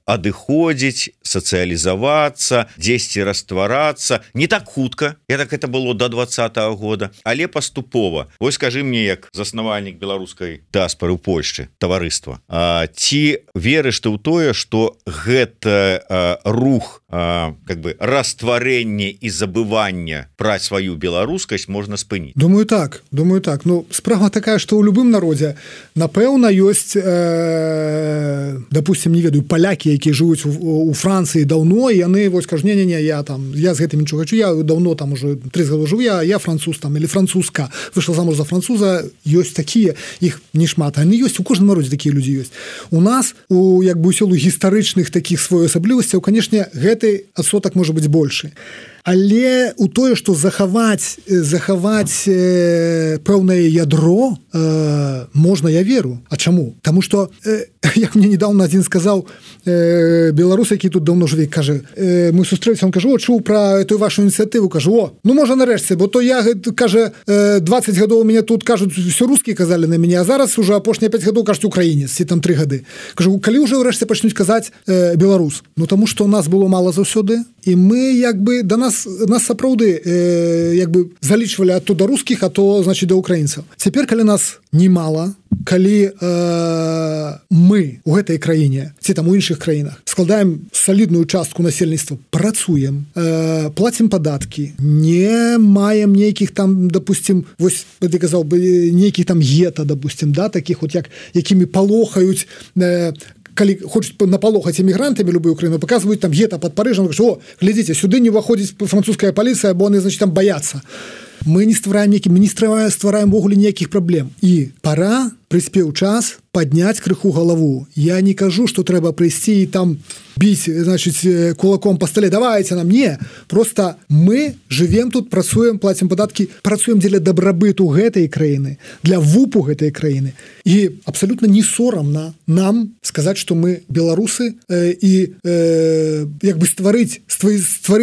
адыходзіць, сацыялізавацца, дзесьці растварацца. Не так хутка, так это было до 20-го года, але паступова. Вось скажы мне, як заснавальнік беларускай дыаспары ў Польшчы, таварыства, ці верыш ты ў тое, што гэта рух растварэння і забывання пра сваю беларускасць можна спыніць? Думаю так. Справа такая, што ў любым народзе, напэўна, ёсць, допустим, не ведаю, палякі, якія жывуць у Францыі даўно, і яны вось кажуць, не, я з гэтымі нічого хочу, я давно там уже 30 гадоў жыву, я француз там, или французка, вышла замуж за француза, ёсць такія, іх не шмат, они ёсць, у кожным народзе такія людзі ёсць. У нас, у сілу гістарычных такіх своеасаблівасцяў, канешне, гэты адсотак можа быць большы. але у тое што захаваць пэўнае ядро можна, я веру. А чаму? Таму што як мне недавно адзін сказаў беларус, які тут давно жыве, кажа, мы сустрэліся, он кажа, о, чуў пра эту вашу ініцыятыву, кажа, о, ну можа нарэшце, бо то я, кажа, 20 гадоў у мяне тут кажуць, все русскія казалі на мяне, а зараз уже апошнія 5 гадоў кажуць украінец, ці там 3 гады. Кажу, калі ўжо ўрэшце пачнуць казаць беларус? Ну таму што у нас было мала заўсёды, і мы як бы да нас сапраўды як бы залічвалі а то да рускіх, а то значит да украінцаў. Цяпер калі нас немало, калі мы у гэтай краіне ці там у іншых краінах складаем салідную частку насельніцтва, працуем, плацім падаткі, не маем нейкіх там, допустим, вось ты казаў бы нейкіх там гета, допустим, да, таких вот якімі палохаюць, калі хочуць напалохаць эмігрантамі любую краіну, показваюць там гета под Парыжам, о, глядзіце, сюды не ўваходзіць французская паліцыя, бо яны, значит, там баяцца. Мы не ствараем ввогуле ніякіх праблем. І пора, прыспеў час падняць крыху галаву. Я не кажу, што трэба прыйсці і там біць, значит, кулаком по столе. Давайте нам. Не. Просто мы живем тут, працуем, платим падаткі, працуем дзеля дабрабыту гэтай краіны, для вупу гэтай краіны. І абсолютно не сорамна нам сказаць, што мы беларусы і як бы стварыць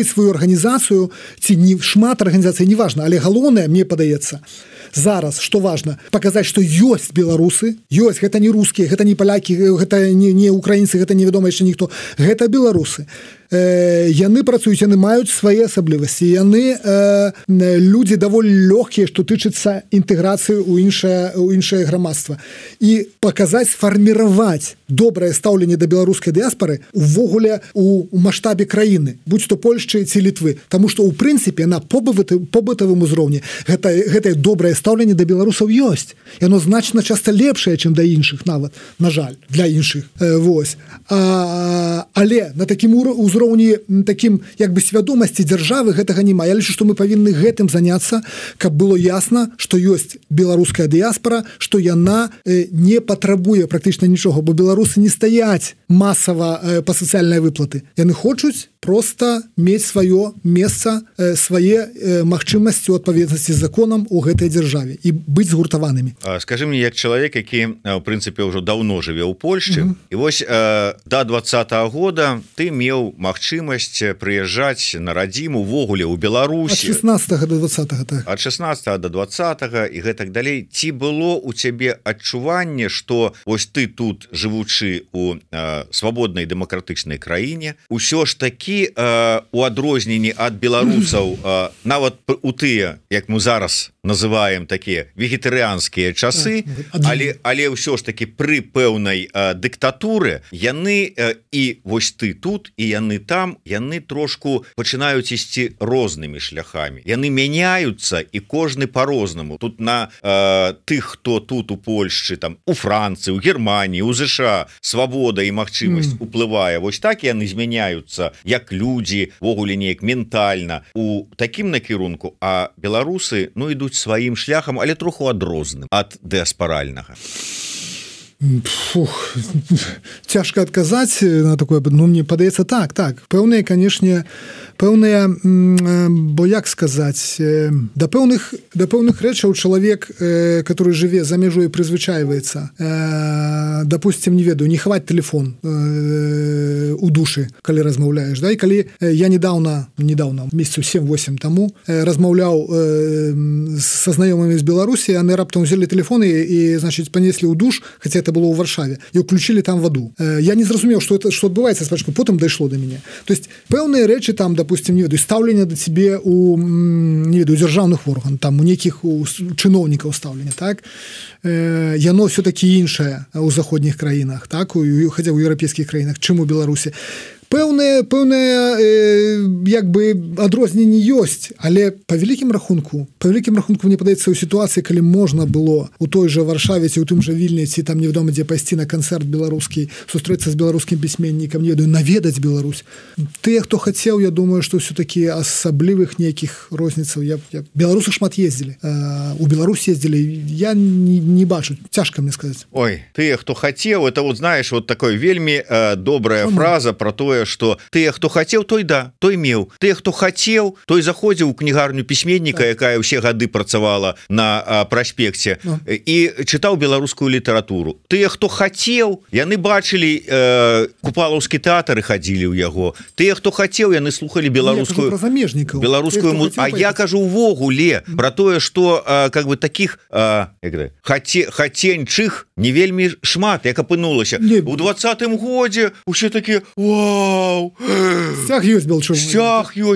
сваю арганізацыю, ці не шмат арганізацый, не важна, але галоўнае, мне падаецца, зараз, што важна, паказаць, што ёсць беларусы, ёсць, гэта не рускія, гэта не палякі, гэта не украінцы, гэта невядома яшчэ ніхто, гэта беларусы. Яны працуюць, яны маюць свае асаблівасці, яны людзі даволі лёгкія, што тычыцца інтэграцыі ў іншае грамадства. І паказаць, сфарміраваць добрае стаўленне да беларускай дыяспары увогуле у маштабе краіны, будь то Польшчы ці Літвы. Таму што, у прынцыпе, на побытавым узроўні гэтае добрае стаўленне да беларусаў ёсць. Яно значна часта лепшае, чым да іншых нават, на жаль, для іншых. Вось. Але на такім узроўні таким як бы свядомасці дзяржавы гэтага няма. Я лічу, што мы павінны гэтым заняцца, каб было ясна, што ёсць беларуская дыяспара, што яна не патрабуе практычна нічога, бо беларусы не стаяць масава па сацыяльнай выплаты. Яны хочуць просто мець сваё месца, свае магчымасці ў адпаведнасці з законам у гэтай дзяржаве і быць згуртаванымі. Скажы мне, як чалавек, які в прынцыпе ўжо даўно жыве ў Польшчы, і вось да 20-го года ты меў магчымасць прыязджаць на радзіму увогуле ў Беларусі ад 16 до 20-го, так. Ад 16 до 20-го і гэтак далей. Ці было у цябе адчуванне, што вось ты тут, жывучы у свабоднай дэмакратычнай краіне, усё ж такі у адрозненні ад беларусаў, нават у тыя, як мы зараз называем такія вегетарыянскія часы, але ўсё ж таки пры пэўнай дыктатуры яны і вось ты тут і яны там, яны трошку пачынаюць ісці рознымі шляхамі. Яны мяняюцца і кожны по-рознаму. Тут на тых, хто тут у Польшчы, там у Францыі, у Германії, у ЗША свабода і магчымасць уплывае. Вось так яны змяняюцца як людзі, ввогуле неяк ментальна у такім накірунку, а беларусы, ну, ідуць сваім шляхам, але троху адрозным ад дыаспаральнага. Фух, цяжка адказаць на такое, ну, мне падаецца так, пэўныя, канешне, бо як сказаць, да пэўных рэчаў чалавек, который жыве за мяжой, прызвычайваецца. Допустим, не ведаю, не хаваць телефон у душы, калі размаўляеш, да, і калі я недавно, месяцаў 7-8 таму размаўляў са знаёмымі з Беларусі, яны раптам узялі телефоны і, значит, панеслі ў душ, хаця это было ў Варшаве, і ўключылі там ваду. Я не зразумеў, што адбываецца спачатку, потым дайшло да мяне. То есть пэўныя рэчы там, допустим, не ведаю, стаўленне да цябе у, не ведаю, дзяржаўных орган, там у нейкіх чыноўнікаў стаўлення, так? Яно все-таки іншае ў заходніх краінах, так? Хаця ў еўрапейскіх краінах, чым у Беларусі. Пэўныя як бы адрозненні ёсць, але па вялікім рахунку мне падаецца, ў сітуацыі, калі можна было у той жа Варшаве ці ў тым жа Вільні, ці там невядома дзе пайсці на канцэрт беларускі, сустрэцца з беларускім пісьменнікам, не ведаю, наведаць Беларусь. Тыя, хто хацеў, я думаю, што ўсё-такі асаблівых нейкіх розніцаў. Беларусы шмат ездзілі. У Беларусь ездзілі, я не бачу, цяжка мне сказаць. Ой, тыя, хто хацеў, это вот, знаешь, вот такой вельмі добрая фраза про тое, тое что тыя хто хацеў той той меў, тыя хто хацеў той заходзіў у кнігарню пісьменніка, якая ўсе гады працавала на праспекце і чытаў беларускую літаратуру. Тыя хто хацеў яны бачылі купалаўскі тэатр і хадзілі ў яго. Тыя хто хацеў яны слухали беларускую а я кажу увогуле про тое что как бы таких хаценьчых не вельмі шмат як апынулася у 20-м годзе усе такі вау сцяг ёсць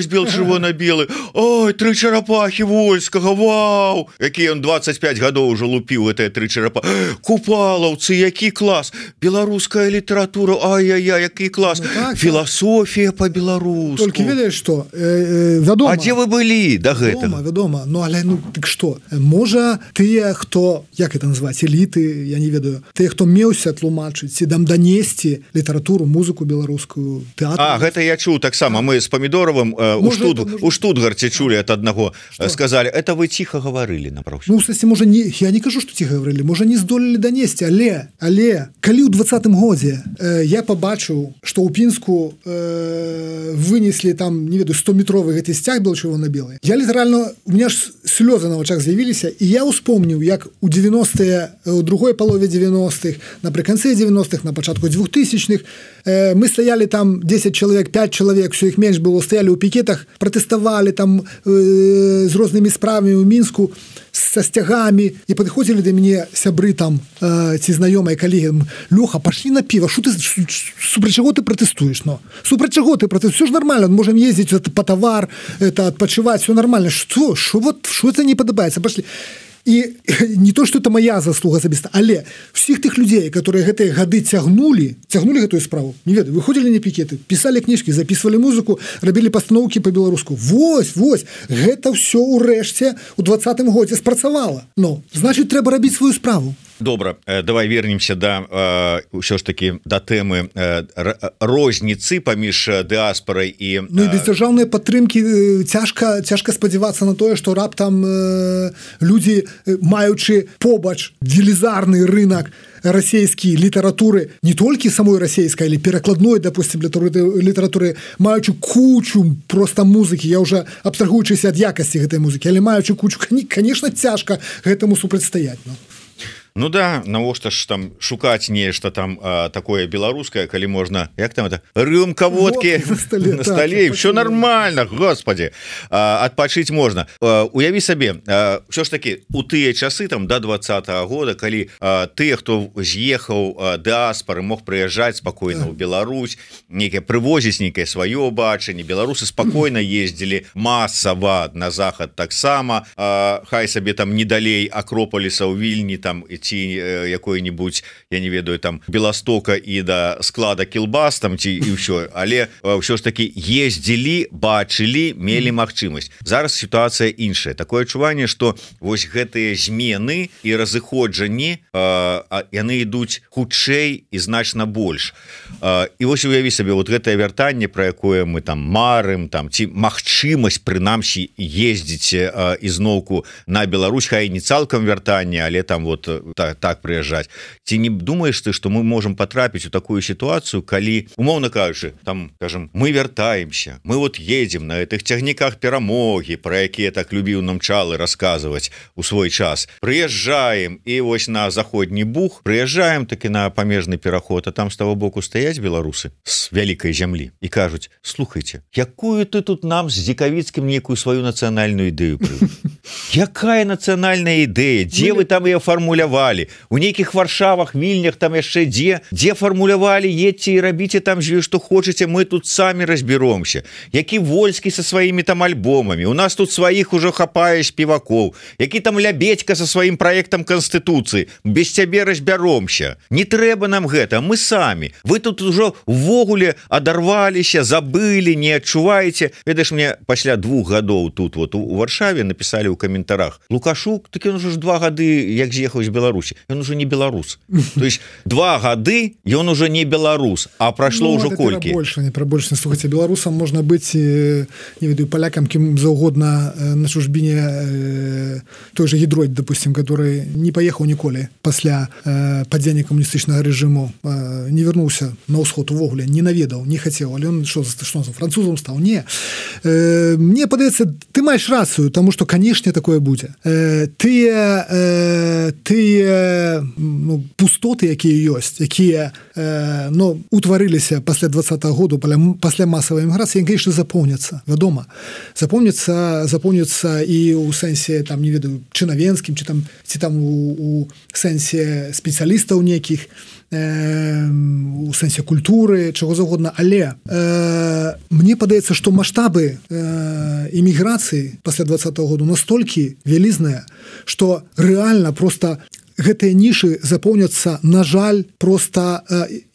белчырвона-белы ой 3 чарапахі вольскага вау які ён 25 гадоў уже лупіў гэтыя 3 чарапа купалаўцы які клас беларуская літаратура ай-яй-яй які клас філасофія по-беларуску только ведаеш что вядома а дзе вы былі да гэтага вядома ну але ну так что можа тыя хто як это назваць эліты я не ведаю тыя хто меўся тлумачыць ці дам данесці літаратуру музыку беларускую тэатр гэта я чуў таксама мы з памідоровым у Штутгарце чулі от аднаго сказали это вы ціха гаварылі напроч ну кстати можа не я не кажу что ціха гаварылі можа не здолелі данесці але калі ў 20-м годзе я побачыў что ў Пінску вынеслі там не ведаю 100-метровы гэты сцяг был чырвона-белы я літаральна у меня ж слёзы на вачах з'явіліся і я успомніў як у 90-е у другой палове 90-х напрыканцы 90-х на пачатку 2000-х мы стаялі там 10 чалавек 5 чалавек все іх менш было стаялі ў пікетах пратэставалі там з рознымі справамі ў Мінску со сцягамі і падыходзілі да мяне сябры там ці знаёмыя калегі Лёха пашлі на піва что ты супраць чаго ты пратэстуеш но супраць чаго ты пратэстуеш все ж нормально можем ездзіць па тавар это адпачываць все нормально что это не падабаецца пашлі і не то что это моя заслуга асабіста але всіх тых людзей которые гэтыя гады цягнулі гэтую справу не ведаю выходзілі на пікеты пісалі кніжкі записывалі музыку рабілі пастаноўкі по-беларуску вось гэта все ўрэшце у 20-м годзе спрацавала но значит трэба рабіць сваю справу Добра, давай вернемся да ўсё ж таки да тэмы розніцы паміж дыаспорай і ну і без дзяржаўнай падтрымкі цяжка спадзявацца на тое што раптам людзі маючы побач велізарны рынок расійскай літаратуры не толькі самой расійскай але перакладной допустим літаратуры маючы кучу просто музыкі я уже абстрагуючыся ад якасці гэтай музыкі але маючы кучу конечно цяжка гэтаму супрацьстаяць Ну да, навошта ж там шукаць нешта там такое беларускае, калі можна як там это рюмка водкі на столе все нормально, господи адпачыць можна. Уяві сабе все ж таки у тыя часы там до 20-го года калі тыя хто з'ехаў дыаспары мог прыязджаць спакойна ў Беларусь нейкае прывозіць нейкае сваё бачанне беларусы спакойна ездзілі масава на захад таксама хай сабе там не далей Акропаліса ў Вільні там ці якой-нибудь я не ведаю там Беластока і да склада кілбас там ці і ўсё але ўсё ж таки ездзілі бачылі мелі магчымасць зараз сітуацыя іншая такое адчуванне что вось гэтыя змены і разыходжанні яны ідуць хутчэй і значна больш і вось уяві сабе вот гэтае вяртанне про якое мы там марым там ці магчымасць прынамсі ездзіць ізноўку на Беларусь хай не цалкам вяртанне але там вот так прыязджаць ці не думаеш ты что мы можем потрапіць у такую сітуацыю калі умоўна кажучы там скажем мы вяртаемся мы вот едем на этих цягніках перамогі про якія так любіў нам Чалы расказваць у свой час прыязджаем і вось на заходні Буг прыязджаем таки на памежны пераход а там з того боку стаяць беларусы з вялікай зямлі і кажуць слухайте якую ты тут нам з Зікавіцкім некую сваю нацыянальную ідэю якая нацыянальная ідэя дзе вы там ее фармулявалі у нейкіх Варшавах Вільнях там яшчэ дзе фармулявалі едьце і рабіце там што хочаце мы тут самі разберомся які Вольскі со сваімі там альбомамі у нас тут сваіх ужо хапае спевакоў які там Лябедька со сваім праектам Канстытуцыі без цябе разбяромся не трэба нам гэта мы самі вы тут ужо ввогуле адарваліся забылі не адчуваеце ведаеш мне пасля 2 гадоў тут вот у Варшаве напісалі ў ў каментарах Лукашук, так ён уже ж 2 гады як з'ехаў з Беларусі, ён уже не беларус, то есть 2 гады ён уже не беларус, а прайшло ўжо колькі больше слухайте, беларусам можна быць не ведаю палякам кім заўгодна на чужбіне той же Гідройд, допустим, который не паехаў ніколі пасля падзення камуністычнага рэжыму, не вярнуўся на ўсход увогуле, не наведаў, не хацеў, але ён што французам стаў, не. Мне падаецца, ты маеш рацыю, таму што канешне такое будзе. Тыя пустоты, якія ёсць, якія утварыліся пасля 20-го году, пасля масавай эміграцыі, конечно, запомняцца, вядома. Запомняцца і ў сэнсе, там, не ведаю, чынавенскім, ці там у сэнсе спецыялістаў некіх, у сэнсе культуры, чаго заўгодна, але мне падаецца, што маштабы эміграцыі пасля 20-го году настолькі вялізныя, што рэальна проста гэтыя нішы запоўняцца, на жаль, проста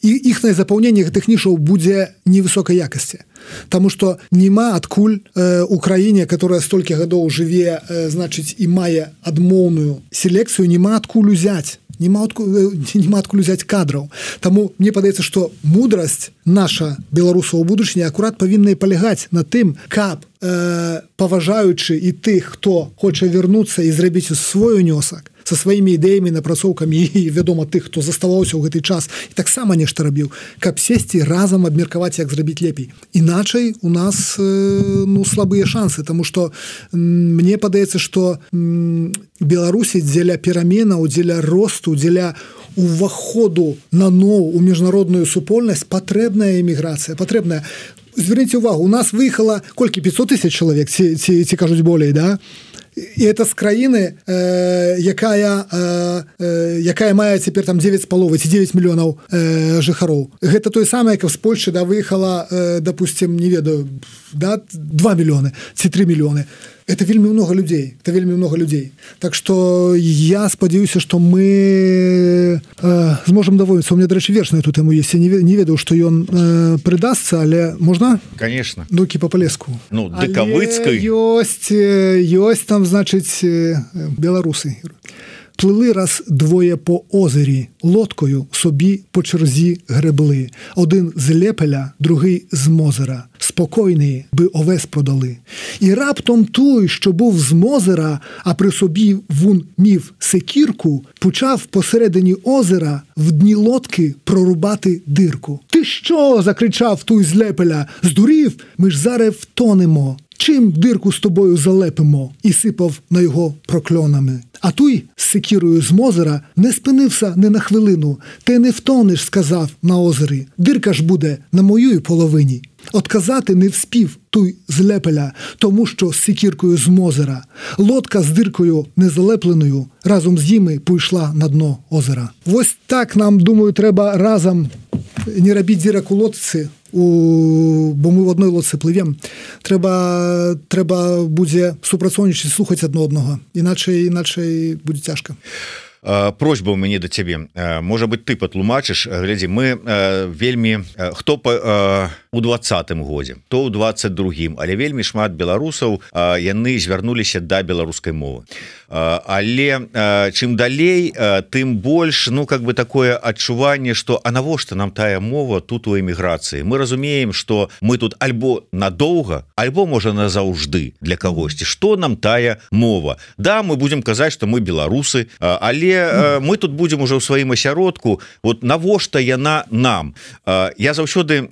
іхнае запаўненне гэтых нішаў будзе невысокай якасці. Таму што няма адкуль у краіне, которая столькі гадоў жыве, значыць, і мае адмоўную селекцыю, няма адкуль узяць. Няма адкуль узяць кадраў. Таму мне падаецца, што мудрасць наша беларусаў у будучыні акурат павінна палягаць на тым, каб паважаючы і тых, хто хоча вярнуцца і зрабіць свой унёсак са сваімі ідэямі, напрацоўкамі і, вядома, тых, хто заставаўся ў гэты час і таксама нешта рабіў, каб сесці разам абмеркаваць, як зрабіць лепей. Іначай у нас слабыя шансы, таму што мне падаецца, што Беларусі дзеля пераменаў, дзеля росту, дзеля уваходу наноў у міжнародную супольнасць патрэбная эміграцыя, патрэбная. Зверніце ўвагу, у нас выехала колькі 500 000 чалавек, ці кажуць болей, да? І это з краіны, якая мае цяпер там 9,5 ці 9 мільёнаў жыхароў. Гэта той самае, як з Польшчы выехала, допустим, не ведаю, 2 мільёны ці 3 мільёны. Это вельмі много людей. Это вельмі много людей. Так што я спадзяюся, што мы зможам даволіцца. У меня, дарэчы, верш на эту тэму есть. Я не ведаў, што ён прыдасца, але можна? Конечно. Дукі па палеску. Ну, дыкавыцкай. Ёсць там, значыць, беларусы. Плили раз двоє по озері, лодкою собі по черзі гребли. Один з Лепеля, другий з Мозера. Спокійний, би овес продали. І раптом той, що був з Мозера, а при собі вун мів секірку, почав посередині озера в дні лодки прорубати дирку. «Ти що?» – закричав той з Лепеля. «Здурів? Ми ж зараз втонемо. Чим дирку з тобою залепимо?» І сипав на його прокльонами. А той з секірою з Мозера не спинився не на хвилину. «Ти не втонеш», – сказав на озері. «Дирка ж буде на моїй половині». Отказати не вспів той з Лепеля, тому що з секіркою з Мозера. Лодка з диркою незалепленою разом з ними пішла на дно озера. Ось так нам, думаю, треба разом не робити дірок у лодці, бо ми в одній лодці пливемо. Треба буде супрацоўнічаць, слухаць адно одного. Іначай буде тяжко. Просьба у мяне да цябе. Можа быть, ты патлумачыш. Глядзі, мы вельмі, хто у 20-м годзе, то ў 22-м, але вельмі шмат беларусаў, яны звярнуліся да беларускай мовы. Але чым далей, тым больш, такое адчуванне, што а навошта нам тая мова тут у эміграцыі? Мы разумеем, што мы тут альбо надоўга, альбо, можа, назаўжды для кагосьці. Што нам тая мова? Да, мы будзем казаць, што мы беларусы, але мы тут будзем уже ў сваім асяродку. Вот навошта яна нам? Я заўсёды,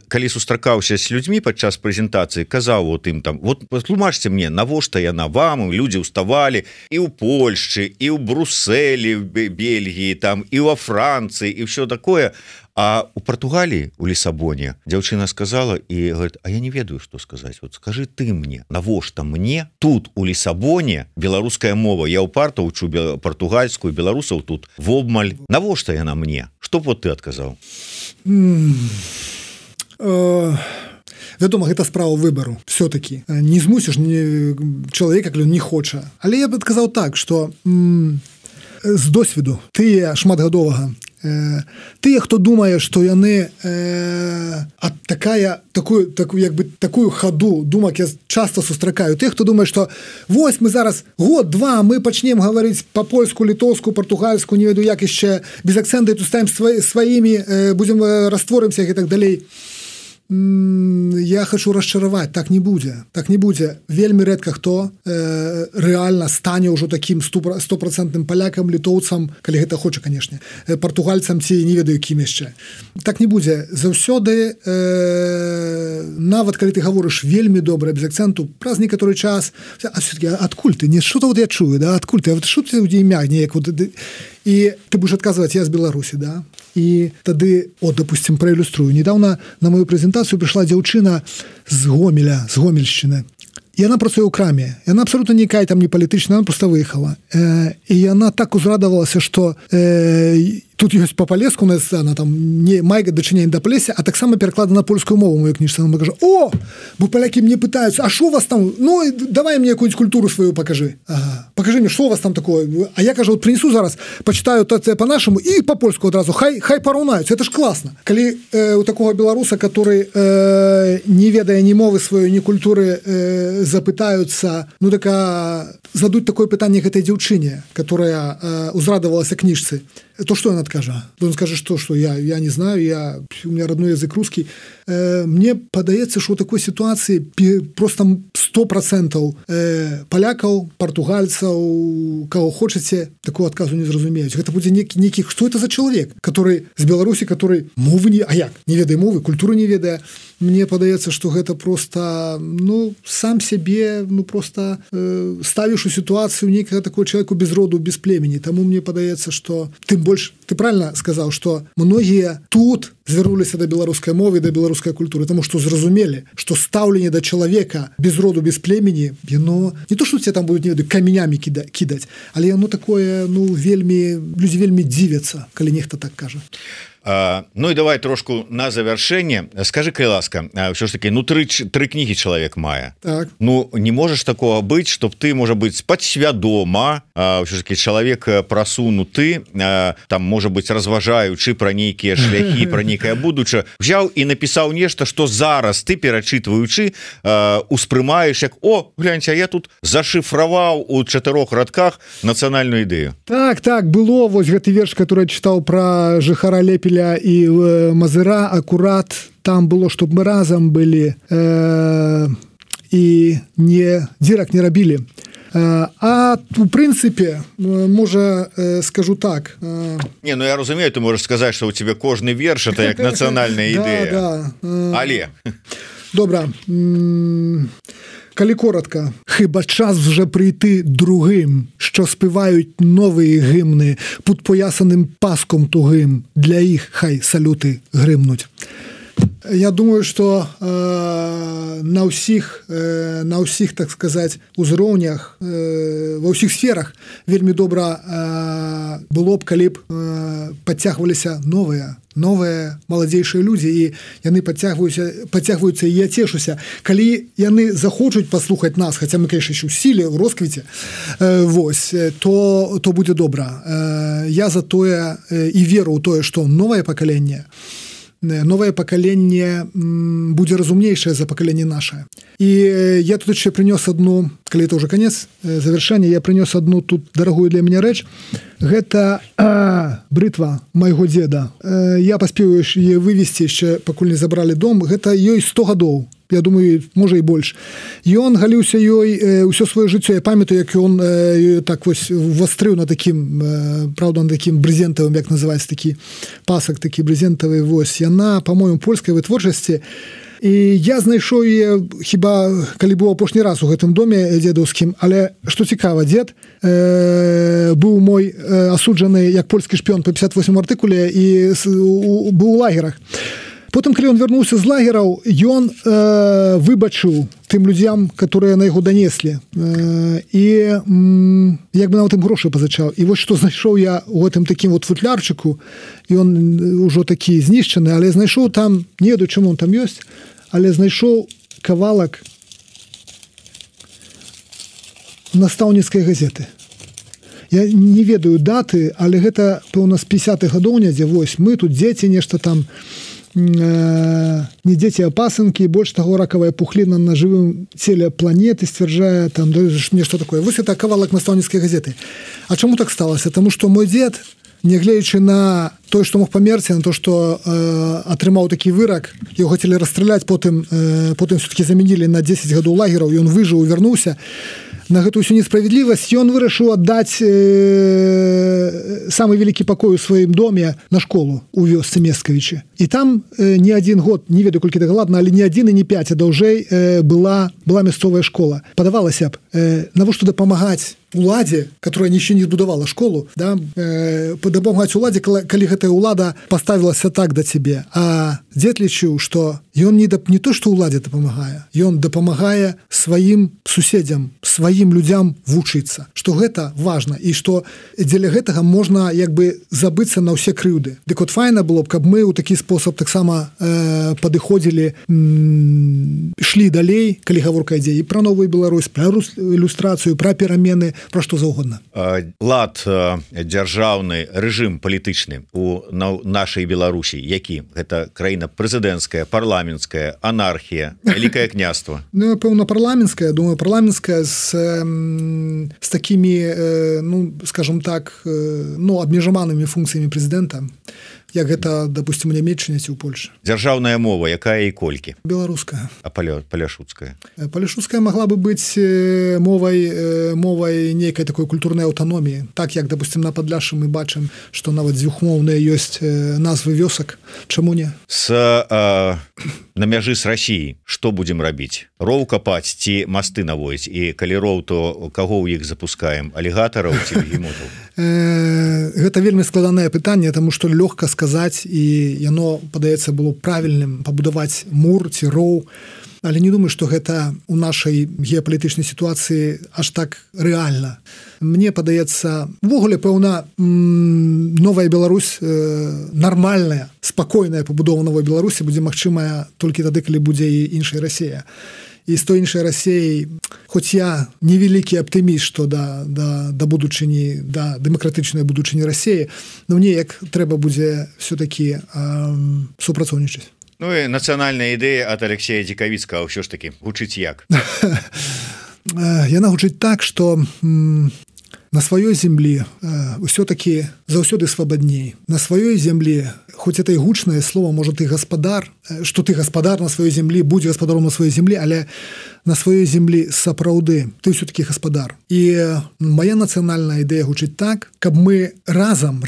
калі сустракаўся з людзьмі падчас прэзентацыі, казаў вот ім там, вот патлумачце мне, навошта яна вам? Людзі ўставалі і ў Польшчы, і ў Брусэлі, Бельгіі, там, і во Францыі, і ўсё такое. А у Португалии, у Лиссабоне, дзяўчына сказала и говорит, а я не ведаю, что сказать. Вот скажи ты мне, навошта мне тут у Лиссабоне беларуская мова? Я упарта учу португальскую, беларусаў тут вобмаль. Навошта яна мне? Что б вот ты адказаў? Вядома, гэта справа выбару. Все-таки не змусіш чалавека, калі он не хоча. Але я б адказаў так, што з досведу тыя шматгадовага Тыя, хто думае, што яны такую хаду думак я часта сустракаю. Тых, хто думае, што вось мы зараз год-два мы пачнем гаварыць па-польску, літоўску, партугальску, не ведаю як яшчэ, без акцэнта і тут ставім сваімі, будзем растворымся і так далей. Я хочу расчараваць, так не будзе. Вельмі рэдка хто рэальна стане ўжо такім 100% палякам, літоўцам, калі гэта хоча, канешне, партугальцам ці не ведаю кім яшчэ. Так не будзе. Заўсёды нават калі ты гаворыш вельмі добра без акцэнту, праз некаторы час, а все-таки адкуль ты? Не што-то вот я чую, да? Адкуль ты? А вот што ты імя неяк вот і ты будешь адказваць, я з Беларусі, да? І тады, допустим, праілюструю. Недавно на мою прэзентацыю прыйшла дзяўчына з Гомеля, з Гомельшчыны. І яна працуе ў краме. Яна абсолютно никакая там не палітычная, она просто выехала. І яна так узрадавалася, што тут ёсць па-палеску, она там не мае дачынення да палесся, а таксама пераклада на польскую мову мою кніжцы. Она кажа: "О, бо палякі мне пытаюцца, а што у вас там? Ну, давай мне якую-нибудь культуру свою покажи. Ага. Покажи мне, што у вас там такое?" А я кажу: "Вот принесу зараз, почитаю по-нашему и по-польску одразу. Хай параўнаюцца. Это ж классно. Калі у такого беларуса, который не ведае ні мовы сваёй, ні культуры, запытаюцца, ну так задуть такое пытанне гэтай дзяўчыне, которая узрадавалася кніжцы, то что он откажа? Он скажет, что я не знаю, у меня родной язык русский. Мне падаецца, что у такой ситуации просто 100% полякаў, португальцаў, кого хочаце, такого отказу не зразумеюць. Гэта будзе некі, что это за человек, который з Беларусі, который мовы не ведае мовы, культуры не ведае. Мне падаецца, что гэта просто, сам себе, просто ставіш у ситуацию некага такого человеку без роду, без племени. Таму мне падаецца, что тым больш, ты правильно сказал, что многие тут звярнуліся да беларускай мовы, да беларускай культуры, тому што зразумелі, што стаўленне да чалавека без роду, без племені, яно не то, што тебе там будуць, не ведаю, камянямі кідаць, але яно такое, людзі вельмі дзівяцца, калі нехта так кажа. Ну і давай трошку на завяршэнне. Скажи, калі ласка, ўсё ж таки, тры кнігі чалавек мае. Так. Не можаш такого быць, чтоб ты, можа быць, падсвядома, ўсё ж таки чалавек прасунуты, там, можа быць, разважаючы пра нейкія шляхі, пра нейкае будучае, взяў і напісаў нешта, што зараз ты, перачытваючы, успрымаеш як: "О, гляньце, я тут зашифраваў у 4 радках нацыянальную ідэю". Так, было вось гэты верш, который я чытаў пра жыхара Лепеля і Мазыра, акурат там было, чтоб мы разам былі і дзірак не рабілі. А у прынцыпе, можа, скажу так. Я разумею, ты можаш сказаць, што у тебе кожны верш это як нацыянальная ідэя. Да. Але добра. Калі коротко, хіба час вже прийти другим, що співають нові гімни під поясаним паском тугим, для їх хай салюти гримнуть. Я думаю, что на ўсіх, так сказать, узроўнях, ва ўсіх сферах вельмі добра было б, калі б подцягваліся новыя маладзейшыя людзі, і яны подцягваюцца, і я цешуся. Калі яны захочуць паслухаць нас, хаця мы, конечно, еще ў сіле, ў росквіце, то будзе добра. Я за тое і веру ў тое, што новае пакаленне будзе разумнейшае за пакаленне нашае. І я тут яшчэ прынёс одну, калі это уже конец завершэння, я прынёс одну тут дарагую для мяне рэч. Гэта брытва майго дзеда. Я паспеў яе вывесці яшчэ, пакуль не забралі дом. Гэта ёй 100 гадоў. Я думаю, можа і больш. Ён галіўся ёй ўсё сваё жыццё. Я памятаю, як ён так вось вастрыў на такім, правда, на такім брезентавым, як называецца, такі пасак, такі брезентавы. Вось яна, па-моему, польскай вытворчасці. І я знайшоў яе, хіба калі быў апошні раз у гэтым доме дзедаўскім, але што цікава, дзед быў мой асуджаны як польскі шпіён па 58 артыкуле і быў у лагерах. Потым, калі ён вярнуўся з лагераў, ён выбачыў тым людзям, которые на яго данеслі. І як бы нават ім грошы пазычаў. І вось што знайшоў я у гэтым такім вот футлярчыку, ён ужо такі знішчаны, але знайшоў там, не ведаю, чаму он там ёсць, але знайшоў кавалак настаўніцкай газеты. я не ведаю даты, але гэта пэўна з 50-х гадоў недзе, вось мы тут дзеці нешта там не дзеці, а пасынкі, больш таго ракавая пухліна на жывым целе планеты сцвярджае там нешта такое. Вось это кавалак настаўніцкай газеты. А чаму так сталася? Таму што мой дзед, нягледзячы на той, што мог памерці, на то, што атрымаў такі вырак, яго хацелі расстраляць, потым все-таки замянілі на 10 гадоў лагераў, і ён выжыў, вярнуўся. На гэтую всю несправядлівасць ён вырашыў аддаць самы вялікі пакой у сваім доме на школу у вёсцы Мескавічы. І там не адзін год, не ведаю колькі дакладна, але не адзін і не 5, а даўжэй была мясцовая школа. Падавалася б, навошта дапамагаць уладзе, которая нічого не збудавала школу, да, дапамагаць уладзе, калі гэтая улада паставілася так да цябе. А дзед лічыў, што ён не то, што уладзе дапамагае, ён дапамагае сваім суседзям, сваім людзям вучыцца, што гэта важна і што дзеля гэтага можна як бы забыцца на ўсе крыўды. Дык от файна было б, каб мы ў такі спосаб таксама падыходзілі, ішлі далей, калі гаворка ідзе і пра новую Беларусь, пра ілюстрацыю, пра перамены, пра што заўгодна. Лад дзяржаўны, рэжым палітычны у нашай Беларусі, які? Гэта краіна прэзідэнцкая, парламенцкая, анархія, вялікае княства? Ну, пэўна, парламенцкая, думаю, парламенцкая з такімі, ну, скажем так, ну, абмежаванымі функцыямі прэзідэнта, як гэта, допустим, у Нямецчыне ці ў Польшчы. Дзяржаўная мова, якая і колькі? Беларуская. А паляшуцкая? Паляшуцкая могла бы быць мовай нейкай такой культурнай аўтаноміі. Так, як, допустим, на Падляшшы мы бачым, што нават дзвюхмоўныя ёсць назвы вёсак. Чаму не? На мяжы з Расіяй што будзем рабіць? Роў капаць ці масты наводзіць? І калі роў, то каго ў іх запускаем? Алігатараў ці бегемотаў? Гэта вельмі складанае пытанне, таму што лёгка сказаць, і яно, падаецца, было правільным пабудаваць мур ці роў. Але не думаю, што гэта ў нашай геапалітычнай сітуацыі аж так рэальна. Мне падаецца, увогуле, пэўна, новая Беларусь, нармальная, спакойная пабудова новай Беларусі будзе магчымая толькі тады, калі будзе і іншая Расія. І з той іншай Расіяй, хоць я невялікі аптыміст, што да будучыні, да дэмакратычнай будучыні Расіі, но мне як трэба будзе все-таки супрацоўнічаць. Ну і нацыянальная ідэя ад Алексея Дзікавіцкага ўсё ж такі гучыць як? Яна гучыць так, што на сваёй землі ўсё-такі заўсёды свабадней. На сваёй землі, хоць это і гучнае слово, можа, ты гаспадар, што ты гаспадар на сваёй землі, будзе гаспадаром на сваёй землі, але на сваёй землі сапраўды ты ўсё-такі гаспадар. І моя нацыянальная ідэя гучыць так, каб мы разам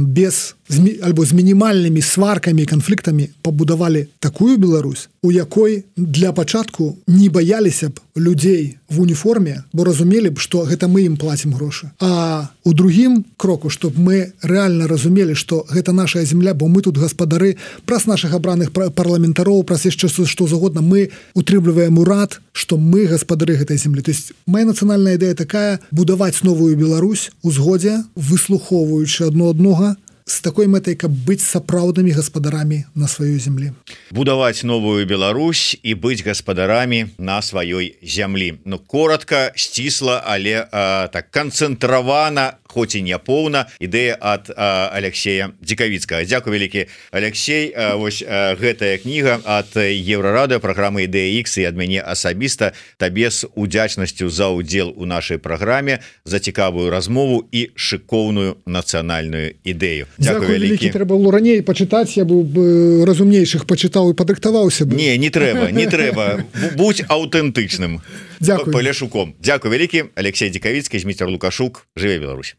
без альбо з мінімальнымі сваркамі і канфліктамі пабудавалі такую Беларусь, у якой для пачатку не баяліся б людзей в уніформе, бо разумелі б, што гэта мы ім плацім грошы. А у другім кроку, чтоб мы рэальна разумелі, што гэта наша земля, бо мы тут гаспадары, праз нашых абраных парламентароў, праз яшчэ што загодна, мы утрымліваем урад, што мы гаспадары гэтай землі. То есть моя нацыянальная ідэя такая: будаваць новую Беларусь у згодзе, выслухоўваючы адно аднога, з такой мэтай, каб быць сапраўднымі гаспадарамі на сваёй землі. Будаваць новую Беларусь і быць гаспадарамі на сваёй зямлі. Ну, коротка, сцісла, але так канцэнтравана, хоць і не поўна, ідэя ад Алексея Дзікавіцкага. Дзякуй вялікі, Алексей. Вось гэтая кніга ад Еўрарадыё, праграмы «Ідэя Х», і ад мяне асабіста табе з удзячнасцю за ўдзел у нашай праграме, за цікавую размову і шыкоўную нацыянальную ідэю. Дзякуй вялікі. Трэба было раней пачытаць, я быў бы разумнейшых пачытаў і падрыхтаваўся бы. Не трэба. Будь аўтэнтычным. Дзякуй. Паляшуком. Дзякуй вялікі. Алексей Дзікавіцкі, Зміцер Лукашук. Жыве Беларусь.